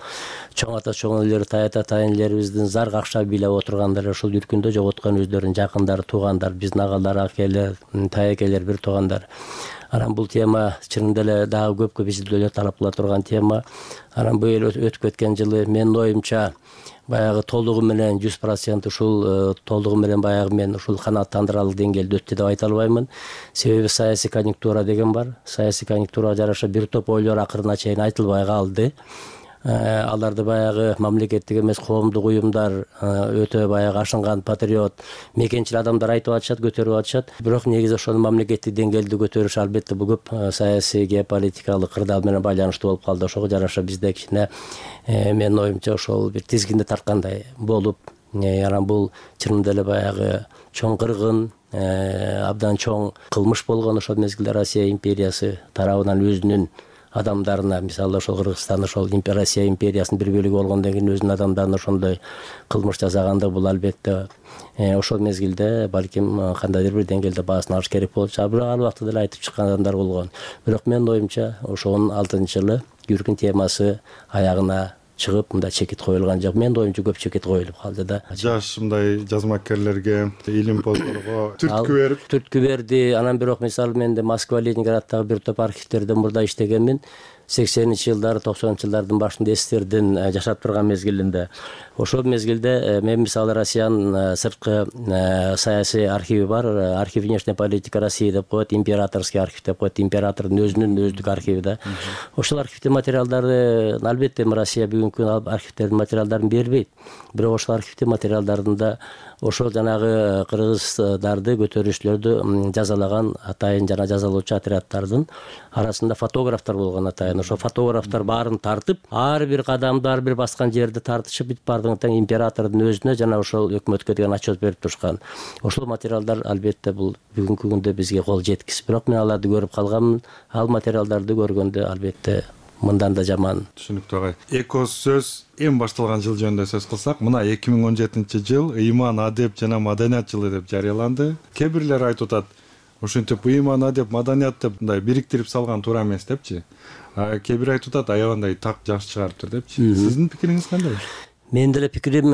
Speaker 15: чоң ата чоң энелер, тайата тайнелерибиздин зар какшап бийлеп отургандары ушул Үркүндө жоготкон өздөрүнүн жакындары, туугандары, биздин агалар, акелер, таекелер, бир туугандар. Анан бул тема чынында эле дагы көпкө изилдөөлөр талап кыла турган тема. Анан быйыл өтүп кеткен жылы менин оюмча баягы толугу менен жүз процент ушул толугу менен баягы мен ушул канааттандырарлык деңгээлде өттү деп айта албаймын. Себеби саясий конъюнктура деген бар. Саясий конъюнктурага жараша бир топ ойлор акырына чейин айтылбай калды. Аларды баягы мамлекеттик эмес коомдук уюмдар, өтө баягы ашынган патриот, мекенчил адамдар айтып атышат, көтөрүп атышат. Бирок негизи ошону мамлекеттик деңгээлде көтөрүш албетте бул көп саясий, геополитикалык кырдаал менен байланыштуу болуп калды. Ошого жараша бизде кичине менин оюмча ошол бир тизгинди тарткандай болуп, анан бул чынында эле баягы чоң кыргын, абдан чоң кылмыш болгон ошол мезгилде Россия империясы тарабынан өзүнүн адамдарына, мисалы ошол Кыргызстан ошол Россия империясынын бир бөлүгү болгондон кийин өзүнүн адамдарына ошондой кылмыш жасаганда бул албетте ошол мезгилде балким кандайдыр бир деңгээлде баасын алыш керек болчу. Бирок ал убакта деле айтып чыккан адамдар болгон. Бирок менин оюмча ошонун алтынчы жылы Гүркүн темасы аягына чыгып, мындай чекит коюлган жок. Менин оюмча көп чекит коюлуп калды да. Жаш
Speaker 2: мындай жазмакерлерге, илимпоздорго түрткү берип,
Speaker 15: түрткү берди. Анан бирок мисалы мен де Москва, Ленинградтагы бир топ архивтерде мурда иштегенмин. сексенинчи жылдары, токсонунчу жылдардын башында эстердин жашап турган мезгилинде. Ошол мезгилде мен мисалы Россиянын сырткы саясий архиви бар, архив внешняя политика России деп коет, императорский архив деп коет, императордун өзүнүн өздүк архиви да. Ошол архивдин материалдарды албетте Россия бүгүнкү архивтердин материалдарын бербейт. Бирок ошол архивдин материалдарында ошол жанагы кыргыздарды, көтөрүүчүлөрдү жазалаган атайын жана жазалоочу отряддардын арасында фотографтар болгон атайын. Ошо фотографтар баарын тартып, ар бир кадамды, ар бир баскан жерди тартышып, бүт бардыгын тең императордун өзүнө жана ошол өкмөткө деген отчет берип турушкан. Ошол материалдар албетте бул бүгүнкү күндө бизге кол жеткис. Бирок мен аларды көрүп калганмын. Ал материалдарды көргөндө албетте мындан да жаман.
Speaker 2: Түшүнүктүү агай. Эко сөз эң башталган жыл жөнүндө сөз кылсак, мына эки миң он жетинчи жыл ыйман, адеп жана маданият жылы деп жарыяланды. Кээ бирлер айтып атат, ошентип ыйман, адеп, маданият деп мындай бириктирип салган туура эмес депчи. Кээ бир айтып атат, аябандай так жакшы чыгарыптыр депчи. Сиздин пикириңиз кандай?
Speaker 15: Менин деле пикирим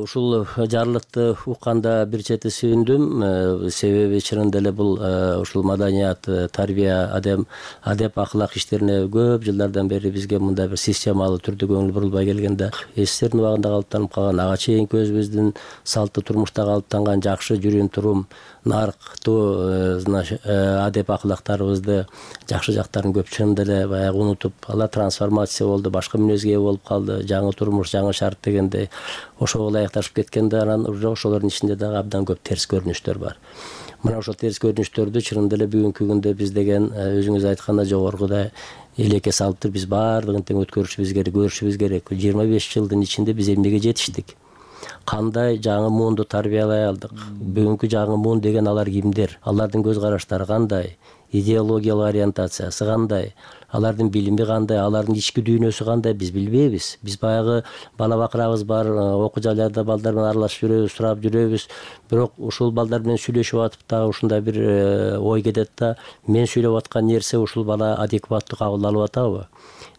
Speaker 15: ушул жарлыкты укканда бир чети сүйүндүм. Себеби чынында эле бул ушул маданият, тарбия, адем, адеп, аклак иштерине көп жылдардан бери бизге мындай бир системалуу түрдө көңүл бурулбай келгенде, эстердин убагында калыптанып калган, ага чейинки өзүбүздүн салттуу турмушта калыптанган жакшы жүрүм турум, нарыктуу адеп аклактарыбызды, жакшы жактарын көп чынында эле баягы унутуп, алар трансформация болду, башка мүнөзгө ээ болуп калды. Жаңы турмуш, жаңы шарт дегенде ошого ылайыкташып кеткенде, анан ошолордун ичинде дагы абдан көп терс көрүнүштөр бар. Мына ошол терс көрүнүштөрдү чынында эле бүгүнкү күндө биз деген өзүңүз айткандай жогоркудай элекке салып туруп, биз баардыгын тең өткөрүшүбүз керек, көрүшүбүз керек. жыйырма беш жылдын ичинде биз эмнеге жетиштик? Кандай жаңы муунду тарбиялай алдык? Бүгүнкү жаңы муун деген алар кимдер? Алардын көз караштары кандай? Идеологиялык ориентациясы кандай? Алардын билими кандай? Алардын ички дүйнөсү кандай? Биз билбейбиз. Биз баягы бала бакырабыз бар, окуу жайларда балдар менен аралашып жүрөбүз, сурап жүрөбүз. Бирок ушул балдар менен сүйлөшүп атып дагы ушундай бир ой кетет да, мен сүйлөп аткан нерсе ушул бала адекваттуу кабыл алып атабы?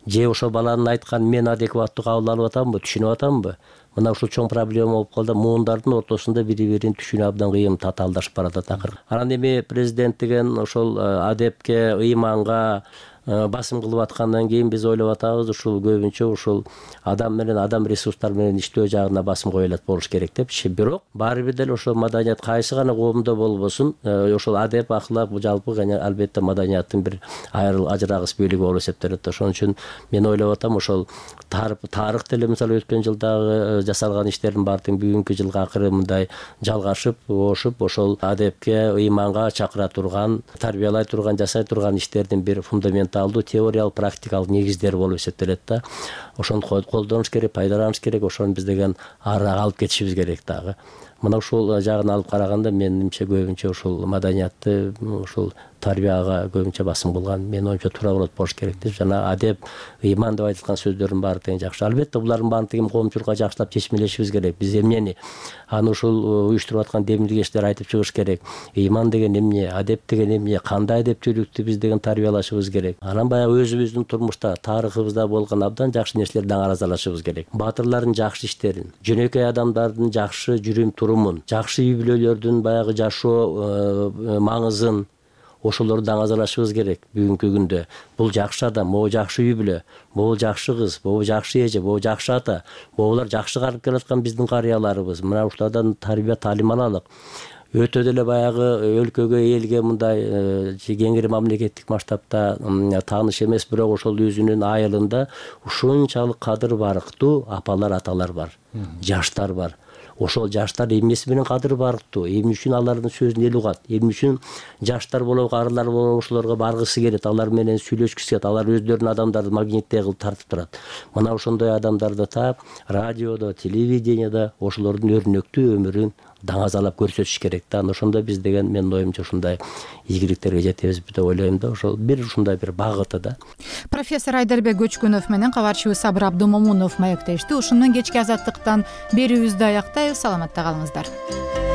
Speaker 15: Же ошол баланын айтканын мен адекваттуу кабыл алып атамбы, түшүнүп атамбы? Мына ушул чоң проблема болуп калды. Муундардын ортосунда бири-бирин түшүнүү абдан кыйын, татаалдашып баратат акыры. Анан эми президент деген ошол адепке, ыйманга басым кылып аткандан кийин биз ойлоп атабыз, ушул көбүнчө ушул адам менен, адам ресурстар менен иштөө жагына басым коюлат болуш керек депчи. Бирок баары бир деле ошол маданият кайсы гана коомдо болбосун, ошол адеп, аклак бул жалпы албетте маданияттын бир ажырагыс бөлүгү болуп эсептелет. Ошон үчүн мен ойлоп атам, ошол тарых деле мисалы өткөн жылдагы жасалган иштердин баардыгы бүгүнкү жылга акыры мындай жалгашып, ошуп, ошол адепке, ыйманга чакыра турган, тарбиялай турган, жасай турган иштердин бир фундаменталдуу теориялык, практикалык негиздери болуп эсептелет да. Ошону колдонуш керек, пайдаланыш керек, ошону биз деген арага алып кетишибиз керек дагы. Мына ушул жагын алып караганда менимче көбүнчө ушул маданиятты, ушул тарбияга көбүнчө басым кылган менин оюмча туура болот болуш керек деп. Жана адеп, ыйман деп айтылган сөздөрдүн баары тең жакшы. Албетте булардын баарын тең коомчулукка жакшылап чечмелешибиз керек. Биз эмнени аны ушул уюштуруп аткан демилгечтер айтып чыгыш керек. Ыйман деген эмне, адеп деген эмне, кандай адептүүлүктү биз деген тарбиялашыбыз керек. Анан баягы өзүбүздүн турмушта, тарыхыбызда болгон абдан жакшы нерселерди аңразалашыбыз керек. Баатырлардын жакшы иштерин, жөнөкөй адамдардын жакшы жүрүм турумун, жакшы үй бүлөлөрдүн баягы жашоо маңызын, ошолорду даңазалашыбыз керек. Бүгүнкү күндө бул жакшы адам, могу жакшы үй бүлө, могу жакшы кыз, могу жакшы эже, могу жакшы ата, могулар жакшы карып келаткан биздин карыяларыбыз. Мына ушулардан тарбия таалим алалык. Өтө деле баягы өлкөгө, элге мындай кеңири мамлекеттик масштабта тааныш эмес, бирок ошол өзүнүн айылында ушунчалык кадыр барктуу апалар, аталар бар, жаштар бар. Ошол жаштар эмнеси менен кадыр барктуу, эмне үчүн алардын сөзүн эл угат, эмне үчүн жаштар болобу, арылар болобу ошолорго баргысы келет, алар менен сүйлөшкүсү келет, алар өздөрүнүн адамдарды магниттей кылып тартып турат. Мына ошондой адамдарды таап, радиодо, телевидениеда ошолордун өрнөктүү өмүрүн даңазалап көрсөтүш керек да. Анан ошондо биз деген менин оюмча ушундай ийгиликтерге жетебиз деп ойлойм да. Ошол бир ушундай бир багыты да.
Speaker 1: Профессор Айдарбек Көчкүнов менен кабарчыбыз Сабыр Абдымомунов маектешти. Ушуну менен кечки азаттыктан берүүбүздү аяктайбыз. Саламатта калыңыздар.